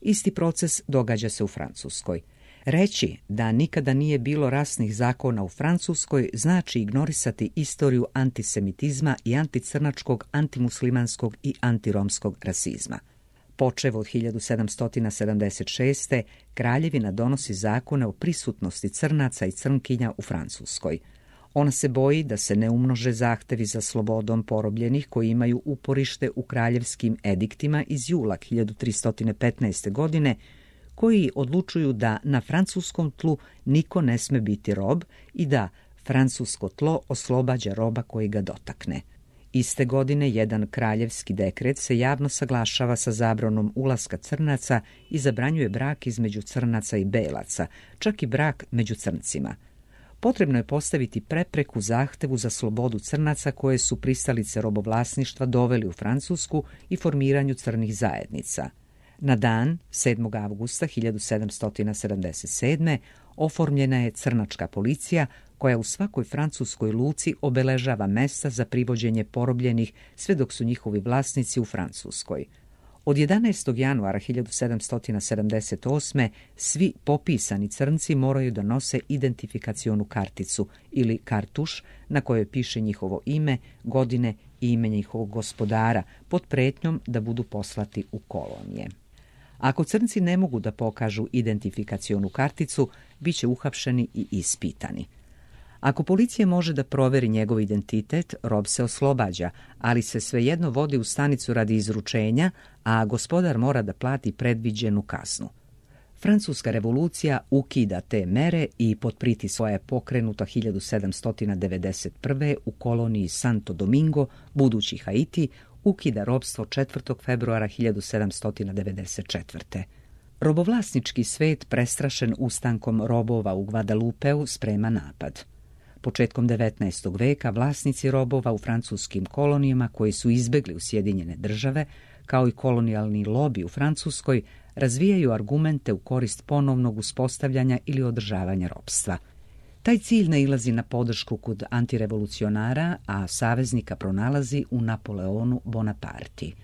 Isti proces događa se u Francuskoj. Reći da nikada nije bilo rasnih zakona u Francuskoj znači ignorisati istoriju antisemitizma i anticrnačkog, antimuslimanskog i antiromskog rasizma. Počev od hiljadu sedamsto sedamdeset šeste. kraljevina donosi zakone o prisutnosti crnaca i crnkinja u Francuskoj. Ona se boji da se ne umnože zahtevi za slobodom porobljenih koji imaju uporište u kraljevskim ediktima iz jula hiljadu tristo petnaeste. godine, koji odlučuju da na francuskom tlu niko ne sme biti rob i da francusko tlo oslobađa roba koji ga dotakne. Iste godine jedan kraljevski dekret se javno saglašava sa zabranom ulaska crnaca i zabranjuje brak između crnaca i belaca, čak i brak među crncima. potrebno je postaviti prepreku zahtevu za slobodu crnaca koje su pristalice robovlasništva doveli u Francusku i formiranju crnih zajednica. Na dan sedmog avgusta hiljadu sedamsto sedamdeset sedme. oformljena je crnačka policija koja u svakoj francuskoj luci obeležava mesta za privođenje porobljenih sve dok su njihovi vlasnici u Francuskoj. Od jedanaestog januara hiljadu sedamsto sedamdeset osme. svi popisani crnci moraju da nose identifikacionu karticu ili kartuš na kojoj piše njihovo ime, godine i ime njihovog gospodara pod pretnjom da budu poslati u kolonije. Ako crnci ne mogu da pokažu identifikacionu karticu, bit će uhapšeni i ispitani. Ako policija može da proveri njegov identitet, rob se oslobađa, ali se svejedno vodi u stanicu radi izručenja, a gospodar mora da plati predviđenu kaznu. Francuska revolucija ukida te mere i pod pritiskom je pokrenuta hiljadu sedamsto devedeset prve. u koloniji Santo Domingo, budući Haiti, ukida ropstvo četvrtog februara hiljadu sedamsto devedeset četvrte. Robovlasnički svet, prestrašen ustankom robova u Guadalupeu, sprema napad. Početkom devetnaestog veka vlasnici robova u francuskim kolonijama koji su izbegli u Sjedinjene države, kao i kolonijalni lobi u Francuskoj, razvijaju argumente u korist ponovnog uspostavljanja ili održavanja ropstva. Taj cilj nailazi na podršku kod antirevolucionara, a saveznika pronalazi u Napoleonu Bonaparti.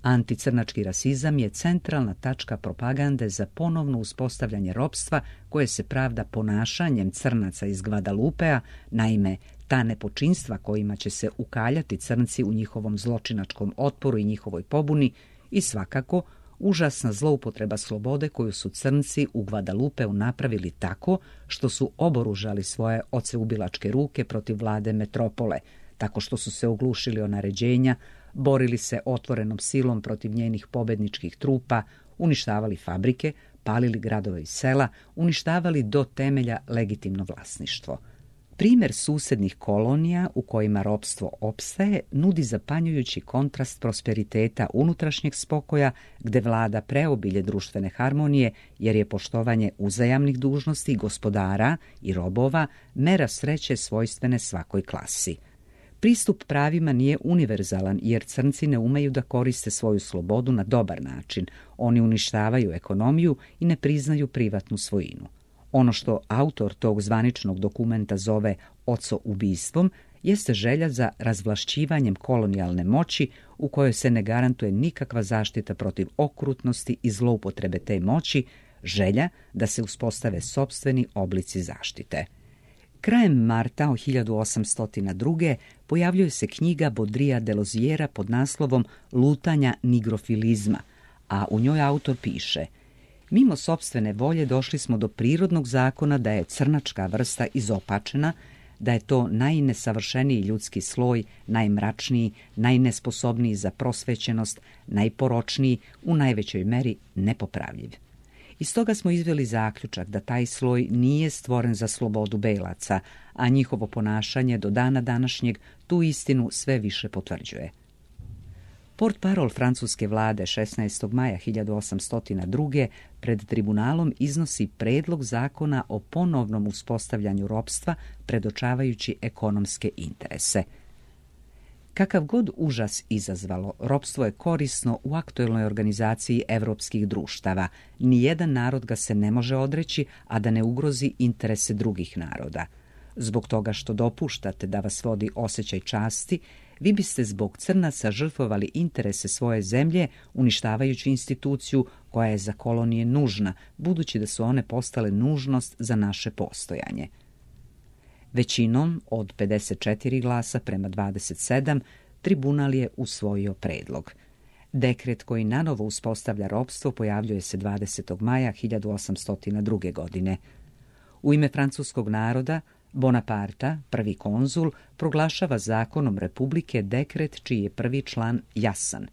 Anticrnački rasizam je centralna tačka propagande za ponovno uspostavljanje ropstva koje se pravda ponašanjem crnaca iz Guadalupea, naime ta nepočinstva kojima će se ukaljati crnci u njihovom zločinačkom otporu i njihovoj pobuni i svakako užasna zloupotreba slobode koju su crnci u Guadalupeu napravili tako što su oboružali svoje oceubilačke ruke protiv vlade metropole, tako što su se oglušili o naređenja, borili se otvorenom silom protiv njenih pobedničkih trupa, uništavali fabrike, palili gradove i sela, uništavali do temelja legitimno vlasništvo. Primjer susednih kolonija u kojima ropstvo opstaje nudi zapanjujući kontrast prosperiteta unutrašnjeg spokoja gde vlada preobilje društvene harmonije jer je poštovanje uzajamnih dužnosti gospodara i robova mera sreće svojstvene svakoj klasi. Pristup pravima nije univerzalan jer crnci ne umeju da koriste svoju slobodu na dobar način. Oni uništavaju ekonomiju i ne priznaju privatnu svojinu. Ono što autor tog zvaničnog dokumenta zove ocoubistvom jeste želja za razvlašćivanjem kolonijalne moći u kojoj se ne garantuje nikakva zaštita protiv okrutnosti i zloupotrebe te moći, želja da se uspostave sopstveni oblici zaštite. Krajem marta hiljadu osamsto druge. pojavljuje se knjiga Baudrillarda de Loziera pod naslovom Lutanja nigrofilizma, a u njoj autor piše: mimo sopstvene volje došli smo do prirodnog zakona da je crnačka vrsta izopačena, da je to najnesavršeniji ljudski sloj, najmračniji, najnesposobniji za prosvećenost, najporočniji, u najvećoj meri nepopravljiv. Iz toga smo izveli zaključak da taj sloj nije stvoren za slobodu belaca, a njihovo ponašanje do dana današnjeg tu istinu sve više potvrđuje. Portparol francuske vlade šesnaestog maja hiljadu osamsto druge. pred tribunalom iznosi predlog zakona o ponovnom uspostavljanju ropstva predočavajući ekonomske interese. Kakav god užas izazvalo, ropstvo je korisno u aktuelnoj organizaciji evropskih društava. Nijedan narod ga se ne može odreći, a da ne ugrozi interese drugih naroda. Zbog toga što dopuštate da vas vodi osjećaj časti, vi biste zbog crnaca žrtvovali interese svoje zemlje, uništavajući instituciju koja je za kolonije nužna, budući da su one postale nužnost za naše postojanje. Većinom od pedeset četiri glasa prema dvadeset sedam tribunal je usvojio predlog. Dekret koji nanovo uspostavlja ropstvo pojavljuje se dvadesetog maja hiljadu osamsto druge. godine. U ime francuskog naroda Bonaparta, prvi konzul, proglašava zakonom republike dekret čiji je prvi član jasan.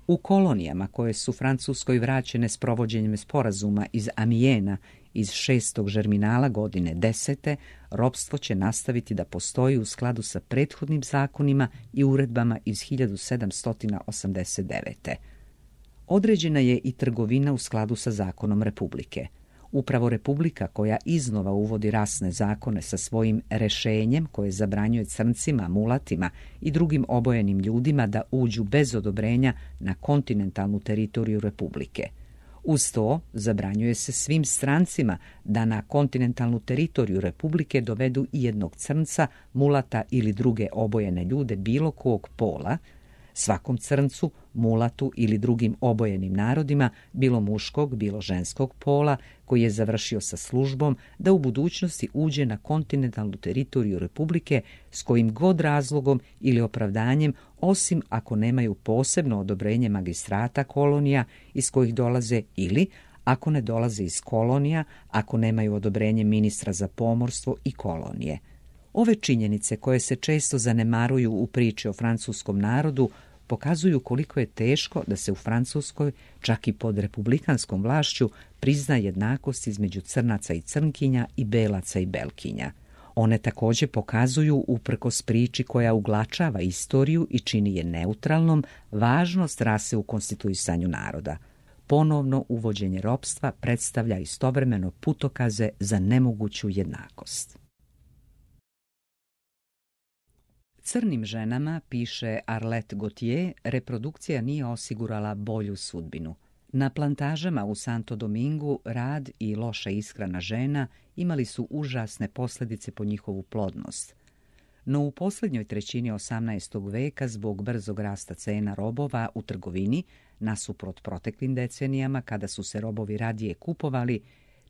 U kolonijama koje su Francuskoj vraćene s provođenjem sporazuma iz Amijena iz šestog žerminala godine desete, ropstvo će nastaviti da postoji u skladu sa prethodnim zakonima i uredbama iz hiljadu sedamsto osamdeset devete. Određena je i trgovina u skladu sa zakonom republike. Upravo Republika koja iznova uvodi rasne zakone sa svojim rešenjem koje zabranjuje crncima, mulatima i drugim obojenim ljudima da uđu bez odobrenja na kontinentalnu teritoriju Republike. Uz to zabranjuje se svim strancima da na kontinentalnu teritoriju Republike dovedu i jednog crnca, mulata ili druge obojene ljude bilo kog pola. Svakom crncu, mulatu ili drugim obojenim narodima, bilo muškog, bilo ženskog pola, koji je završio sa službom, da u budućnosti uđe na kontinentalnu teritoriju Republike s kojim god razlogom ili opravdanjem, osim ako nemaju posebno odobrenje magistrata kolonija iz kojih dolaze ili, ako ne dolaze iz kolonija, ako nemaju odobrenje ministra za pomorstvo i kolonije. Ove činjenice koje se često zanemaruju u priči o francuskom narodu pokazuju koliko je teško da se u Francuskoj, čak i pod republikanskom vlašću, prizna jednakost između crnaca i crnkinja i belaca i belkinja. One također pokazuju, uprkos priči koja uglačava istoriju i čini je neutralnom, važnost rase u konstituisanju naroda. Ponovno uvođenje ropstva predstavlja istovremeno putokaze za nemoguću jednakost. Crnim ženama, piše Arlette Gauthier, reprodukcija nije osigurala bolju sudbinu. Na plantažama u Santo Domingu rad i loša ishrana žena imali su užasne posljedice po njihovu plodnost. No u posljednjoj trećini osamnaestog veka, zbog brzog rasta cena robova u trgovini, nasuprot proteklim decenijama kada su se robovi radije kupovali,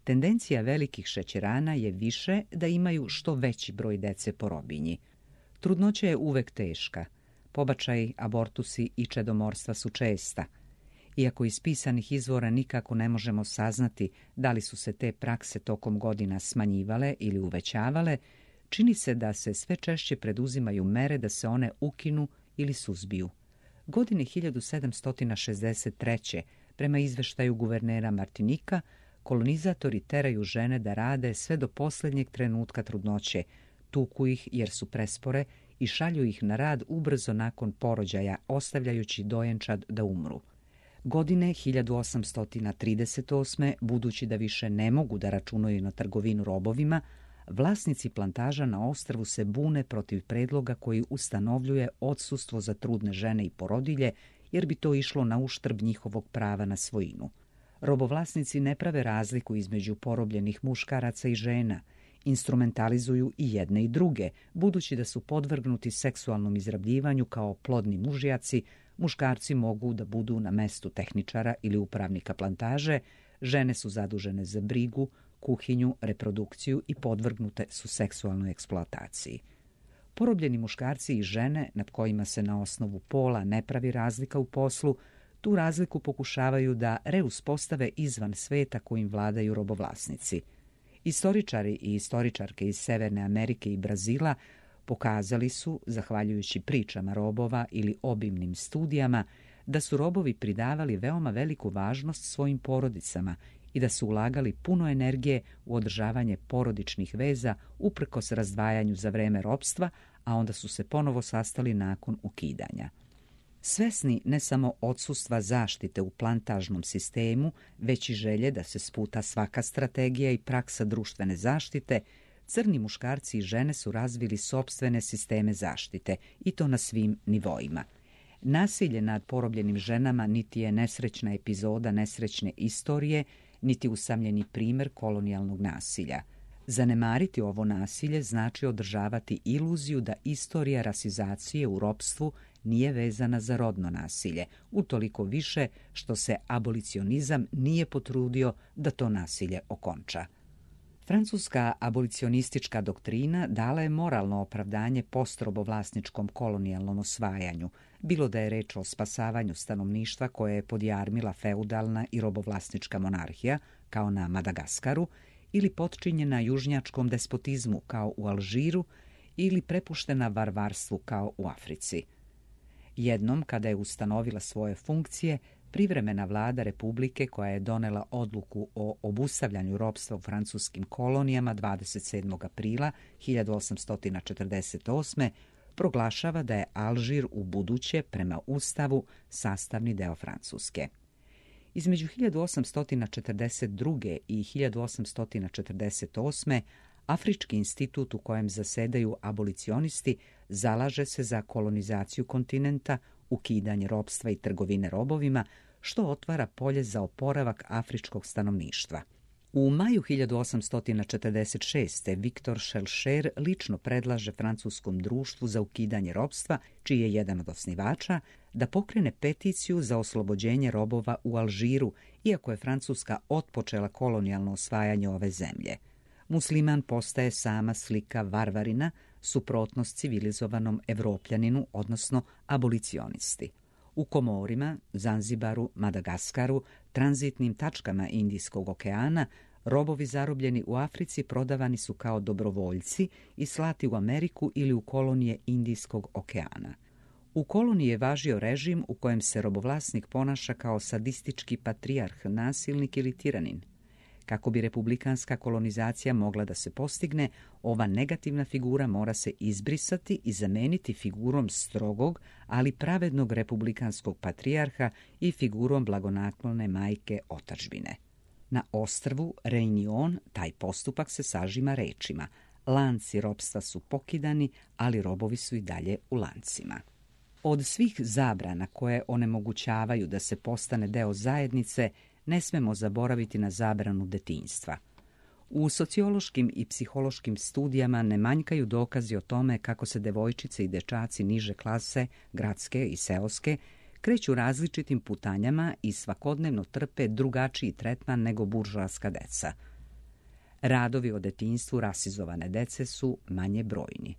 tendencija velikih šećerana je više da imaju što veći broj dece po robinji. Trudnoća je uvek teška. Pobačaji, abortusi i čedomorstva su česta. Iako iz pisanih izvora nikako ne možemo saznati da li su se te prakse tokom godina smanjivale ili uvećavale, čini se da se sve češće preduzimaju mere da se one ukinu ili suzbiju. Godine hiljadu sedamsto šezdeset treće. prema izveštaju guvernera Martinika, kolonizatori teraju žene da rade sve do posljednjeg trenutka trudnoće, tuku ih jer su prespore i šalju ih na rad ubrzo nakon porođaja, ostavljajući dojenčad da umru. Godine hiljadu osamsto trideset osme, budući da više ne mogu da računaju na trgovinu robovima, vlasnici plantaža na ostrvu se bune protiv predloga koji ustanovljuje odsustvo za trudne žene i porodilje, jer bi to išlo na uštrb njihovog prava na svojinu. Robovlasnici ne prave razliku između porobljenih muškaraca i žena, instrumentalizuju i jedne i druge, budući da su podvrgnuti seksualnom izrabljivanju kao plodni mužjaci. Muškarci mogu da budu na mestu tehničara ili upravnika plantaže, žene su zadužene za brigu, kuhinju, reprodukciju i podvrgnute su seksualnoj eksploataciji. Porobljeni muškarci i žene, nad kojima se na osnovu pola ne pravi razlika u poslu, tu razliku pokušavaju da reuspostave izvan sveta kojim vladaju robovlasnici. Istoričari i istoričarke iz Severne Amerike i Brazila pokazali su, zahvaljujući pričama robova ili obimnim studijama, da su robovi pridavali veoma veliku važnost svojim porodicama i da su ulagali puno energije u održavanje porodičnih veza uprkos razdvajanju za vreme ropstva, a onda su se ponovo sastali nakon ukidanja. Svesni ne samo odsustva zaštite u plantažnom sistemu, već i želje da se sputa svaka strategija i praksa društvene zaštite, crni muškarci i žene su razvili sopstvene sisteme zaštite, i to na svim nivoima. Nasilje nad porobljenim ženama niti je nesrećna epizoda nesrećne istorije, niti usamljeni primjer kolonijalnog nasilja. Zanemariti ovo nasilje znači održavati iluziju da istorija rasizacije u ropstvu nije vezana za rodno nasilje, utoliko više što se abolicionizam nije potrudio da to nasilje okonča. Francuska abolicionistička doktrina dala je moralno opravdanje postrobovlasničkom kolonijalnom osvajanju, bilo da je reč o spasavanju stanovništva koje je podjarmila feudalna i robovlasnička monarhija, kao na Madagaskaru, ili potčinjena južnjačkom despotizmu, kao u Alžiru, ili prepuštena varvarstvu, kao u Africi. Jednom, kada je ustanovila svoje funkcije, privremena vlada Republike, koja je donela odluku o obustavljanju ropstva u francuskim kolonijama dvadeset sedmog aprila hiljadu osamsto četrdeset osme, proglašava da je Alžir u buduće, prema Ustavu, sastavni deo Francuske. Između hiljadu osamsto četrdeset druge. i hiljadu osamsto četrdeset osme. Afrički institut u kojem zasedaju abolicionisti zalaže se za kolonizaciju kontinenta, ukidanje ropstva i trgovine robovima, što otvara polje za oporavak afričkog stanovništva. U maju hiljadu osamsto četrdeset šeste. Viktor Schellscher lično predlaže francuskom društvu za ukidanje ropstva, čiji je jedan od osnivača, da pokrene peticiju za oslobođenje robova u Alžiru, iako je Francuska otpočela kolonijalno osvajanje ove zemlje. Musliman postaje sama slika varvarina, suprotnost civilizovanom Evropljaninu, odnosno abolicionisti. U Komorima, Zanzibaru, Madagaskaru, tranzitnim tačkama Indijskog okeana, robovi zarobljeni u Africi prodavani su kao dobrovoljci i slati u Ameriku ili u kolonije Indijskog okeana. U koloniji je važio režim u kojem se robovlasnik ponaša kao sadistički patrijarh, nasilnik ili tiranin. Kako bi republikanska kolonizacija mogla da se postigne, ova negativna figura mora se izbrisati i zameniti figurom strogog, ali pravednog republikanskog patrijarha i figurom blagonaklone majke otadžbine. Na ostrvu Reunion taj postupak se sažima rečima: lanci ropstva su pokidani, ali robovi su i dalje u lancima. Od svih zabrana koje onemogućavaju da se postane deo zajednice, ne smemo zaboraviti na zabranu detinjstva. U sociološkim i psihološkim studijama ne manjkaju dokazi o tome kako se devojčice i dečaci niže klase, gradske i seoske, kreću različitim putanjama i svakodnevno trpe drugačiji tretman nego buržoaska deca. Radovi o detinjstvu rasizovane dece su manje brojni.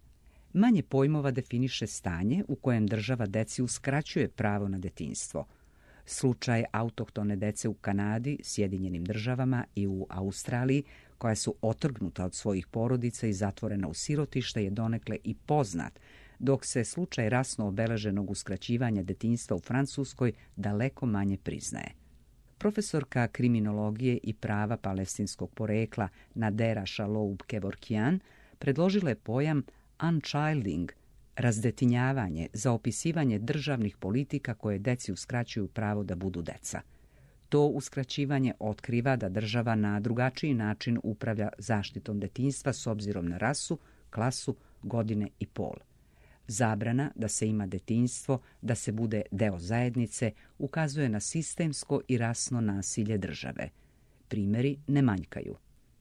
Manje pojmova definiše stanje u kojem država deci uskraćuje pravo na detinjstvo. Slučaj autohtone dece u Kanadi, Sjedinjenim državama i u Australiji, koja su otrgnuta od svojih porodica i zatvorena u sirotište, je donekle i poznat, dok se slučaj rasno obeleženog uskraćivanja detinjstva u Francuskoj daleko manje priznaje. Profesorka kriminologije i prava palestinskog porekla Nadera Shaloub-Kevorkian predložila je pojam unchilding, razdetinjavanje, za opisivanje državnih politika koje deci uskraćuju pravo da budu deca. To uskraćivanje otkriva da država na drugačiji način upravlja zaštitom detinjstva s obzirom na rasu, klasu, godine i pol. Zabrana da se ima detinjstvo, da se bude deo zajednice, ukazuje na sistemsko i rasno nasilje države. Primjeri ne manjkaju.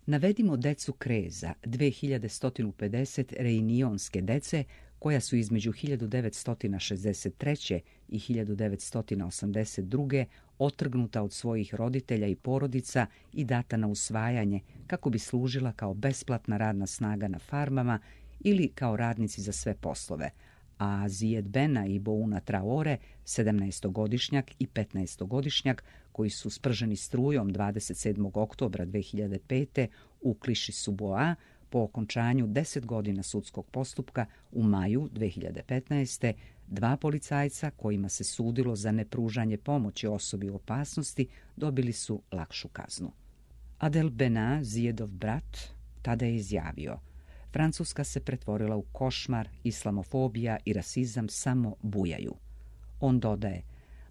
Navedimo decu Kreza, dve hiljade sto pedeset reunionske dece, koja su između hiljadu devetsto šezdeset treće. i hiljadu devetsto osamdeset druge. otrgnuta od svojih roditelja i porodica i data na usvajanje kako bi služila kao besplatna radna snaga na farmama ili kao radnici za sve poslove, a Zijed Bena i Bouna Traore, sedamnaestogodišnjak i petnaestogodišnjak, koji su sprženi strujom dvadeset sedmog oktobra dve hiljade pete. u kliši Suboa, po okončanju deset godina sudskog postupka u maju dve hiljade petnaeste. dva policajca kojima se sudilo za nepružanje pomoći osobi u opasnosti dobili su lakšu kaznu. Adel Bena, Zijedov brat, tada je izjavio: Francuska se pretvorila u košmar, islamofobija i rasizam samo bujaju. On dodaje: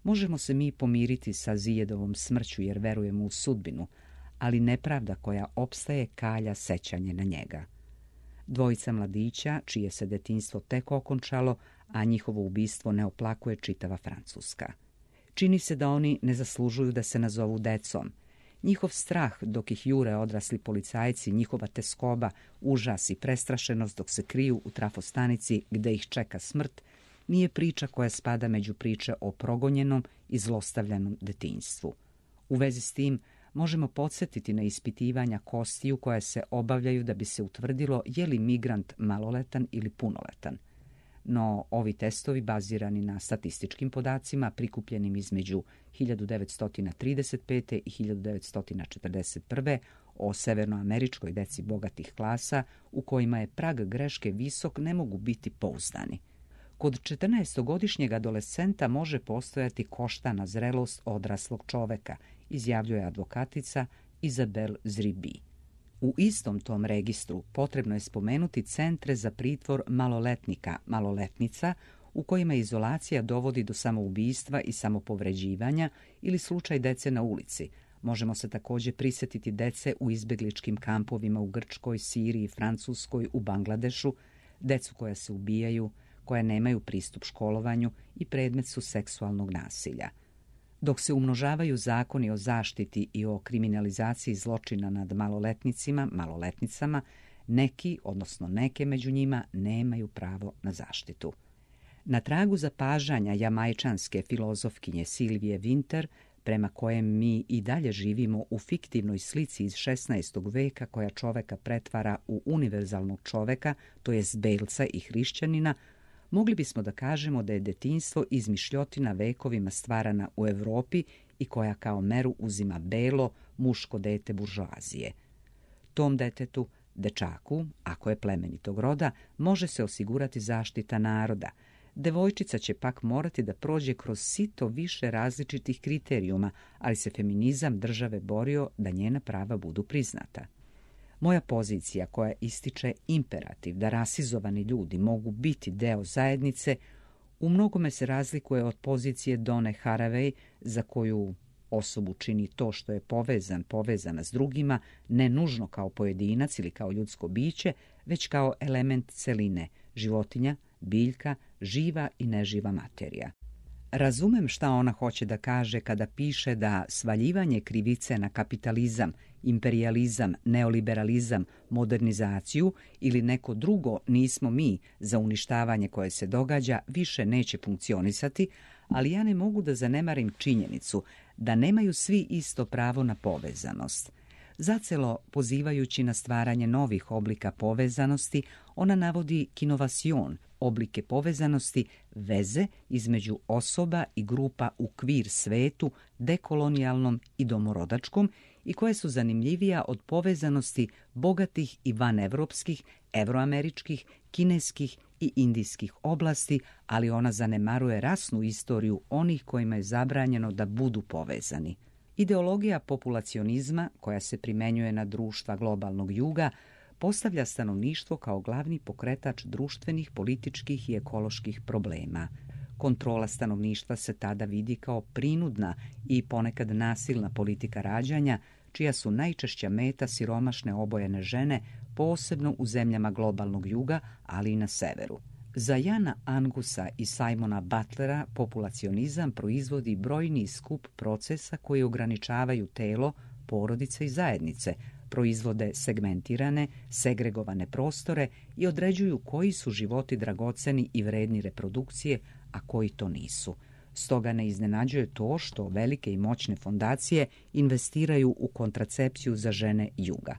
možemo se mi pomiriti sa Zijedovom smrću jer verujemo u sudbinu, ali nepravda koja opstaje kalja sećanje na njega. Dvojica mladića, čije se detinjstvo tek okončalo, a njihovo ubistvo ne oplakuje čitava Francuska. Čini se da oni ne zaslužuju da se nazovu decom. Njihov strah dok ih jure odrasli policajci, njihova teskoba, užas i prestrašenost dok se kriju u trafostanici gde ih čeka smrt, nije priča koja spada među priče o progonjenom i zlostavljanom detinjstvu. U vezi s tim možemo podsjetiti na ispitivanja kostiju koja se obavljaju da bi se utvrdilo je li migrant maloletan ili punoletan. No, ovi testovi, bazirani na statističkim podacima prikupljenim između hiljadu devetsto trideset pete. i hiljadu devetsto četrdeset prve. o severnoameričkoj deci bogatih klasa, u kojima je prag greške visok, ne mogu biti pouzdani. Kod četrnaestogodišnjeg adolescenta može postojati koštana zrelost odraslog čoveka, izjavljuje advokatica Izabel Zribi. U istom tom registru potrebno je spomenuti centre za pritvor maloletnika, maloletnica, u kojima izolacija dovodi do samoubistva i samopovređivanja ili slučaj dece na ulici. Možemo se također prisjetiti dece u izbjegličkim kampovima u Grčkoj, Siriji, Francuskoj, u Bangladešu, decu koja se ubijaju, koja nemaju pristup školovanju i predmet su seksualnog nasilja. Dok se umnožavaju zakoni o zaštiti i o kriminalizaciji zločina nad maloletnicima, maloletnicama, neki, odnosno neke među njima, nemaju pravo na zaštitu. Na tragu zapažanja jamajčanske filozofkinje Silvije Winter, prema kojem mi i dalje živimo u fiktivnoj slici iz šesnaestog veka koja čoveka pretvara u univerzalnog čoveka, to jest belca i hrišćanina, mogli bismo da kažemo da je detinjstvo izmišljotina vekovima stvarana u Europi i koja kao meru uzima belo, muško dete buržoazije. Tom detetu, dečaku, ako je plemenitog roda, može se osigurati zaštita naroda. Devojčica će pak morati da prođe kroz sito više različitih kriterijuma, ali se feminizam države borio da njena prava budu priznata. Moja pozicija koja ističe imperativ da rasizovani ljudi mogu biti deo zajednice, u mnogome se razlikuje od pozicije Done Haraway, za koju osobu čini to što je povezan, povezana s drugima, ne nužno kao pojedinac ili kao ljudsko biće, već kao element celine, životinja, biljka, živa i neživa materija. Razumem šta ona hoće da kaže kada piše da svaljivanje krivice na kapitalizam, imperijalizam, neoliberalizam, modernizaciju ili neko drugo nismo mi za uništavanje koje se događa više neće funkcionisati, ali ja ne mogu da zanemarim činjenicu da nemaju svi isto pravo na povezanost. Zacelo pozivajući na stvaranje novih oblika povezanosti, ona navodi kinovacion, oblike povezanosti, veze između osoba i grupa u kvir svetu, dekolonijalnom i domorodačkom, i koje su zanimljivija od povezanosti bogatih i vanevropskih, evroameričkih, kineskih i indijskih oblasti, ali ona zanemaruje rasnu istoriju onih kojima je zabranjeno da budu povezani. Ideologija populacionizma, koja se primenjuje na društva globalnog juga, postavlja stanovništvo kao glavni pokretač društvenih, političkih i ekoloških problema. Kontrola stanovništva se tada vidi kao prinudna i ponekad nasilna politika rađanja, čija su najčešća meta siromašne obojene žene, posebno u zemljama globalnog juga, ali i na severu. Za Jana Angusa i Simona Butlera populacionizam proizvodi brojni skup procesa koji ograničavaju telo, porodice i zajednice, proizvode segmentirane, segregovane prostore i određuju koji su životi dragoceni i vredni reprodukcije, a koji to nisu. Stoga ne iznenađuje to što velike i moćne fondacije investiraju u kontracepciju za žene juga.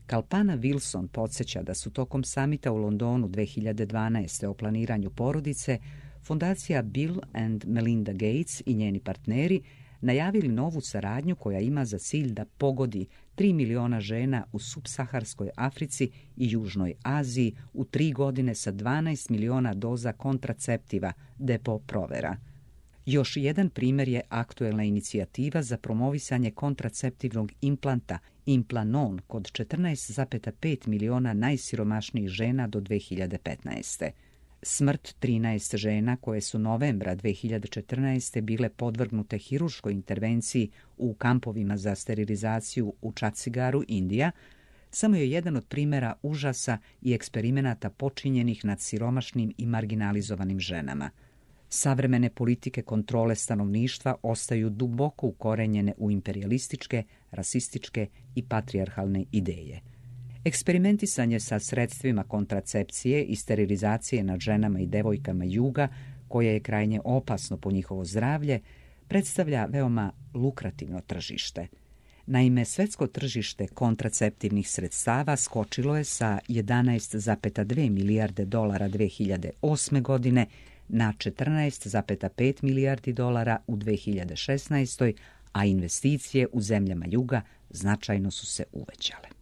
Kalpana Wilson podsjeća da su tokom samita u Londonu dve hiljade dvanaeste. o planiranju porodice, fondacija Bill and Melinda Gates i njeni partneri najavili novu saradnju koja ima za cilj da pogodi tri miliona žena u subsaharskoj Africi i Južnoj Aziji u tri godine sa dvanaest miliona doza kontraceptiva, depo provera. Još jedan primjer je aktuelna inicijativa za promovisanje kontraceptivnog implanta Implanon kod četrnaest zarez pet miliona najsiromašnijih žena do dve hiljade petnaeste. Smrt trinaest žena koje su novembra dve hiljade četrnaeste. bile podvrgnute hirurškoj intervenciji u kampovima za sterilizaciju u Čatsigaru, Indija, samo je jedan od primjera užasa i eksperimenata počinjenih nad siromašnim i marginalizovanim ženama. Savremene politike kontrole stanovništva ostaju duboko ukorenjene u imperijalističke, rasističke i patrijarhalne ideje. Eksperimentisanje sa sredstvima kontracepcije i sterilizacije nad ženama i devojkama juga, koje je krajnje opasno po njihovo zdravlje, predstavlja veoma lukrativno tržište. Naime, svetsko tržište kontraceptivnih sredstava skočilo je sa jedanaest zarez dve milijarde dolara dve hiljade osme. godine na četrnaest zarez pet milijardi dolara u dve hiljade šesnaestoj. a investicije u zemljama juga značajno su se uvećale.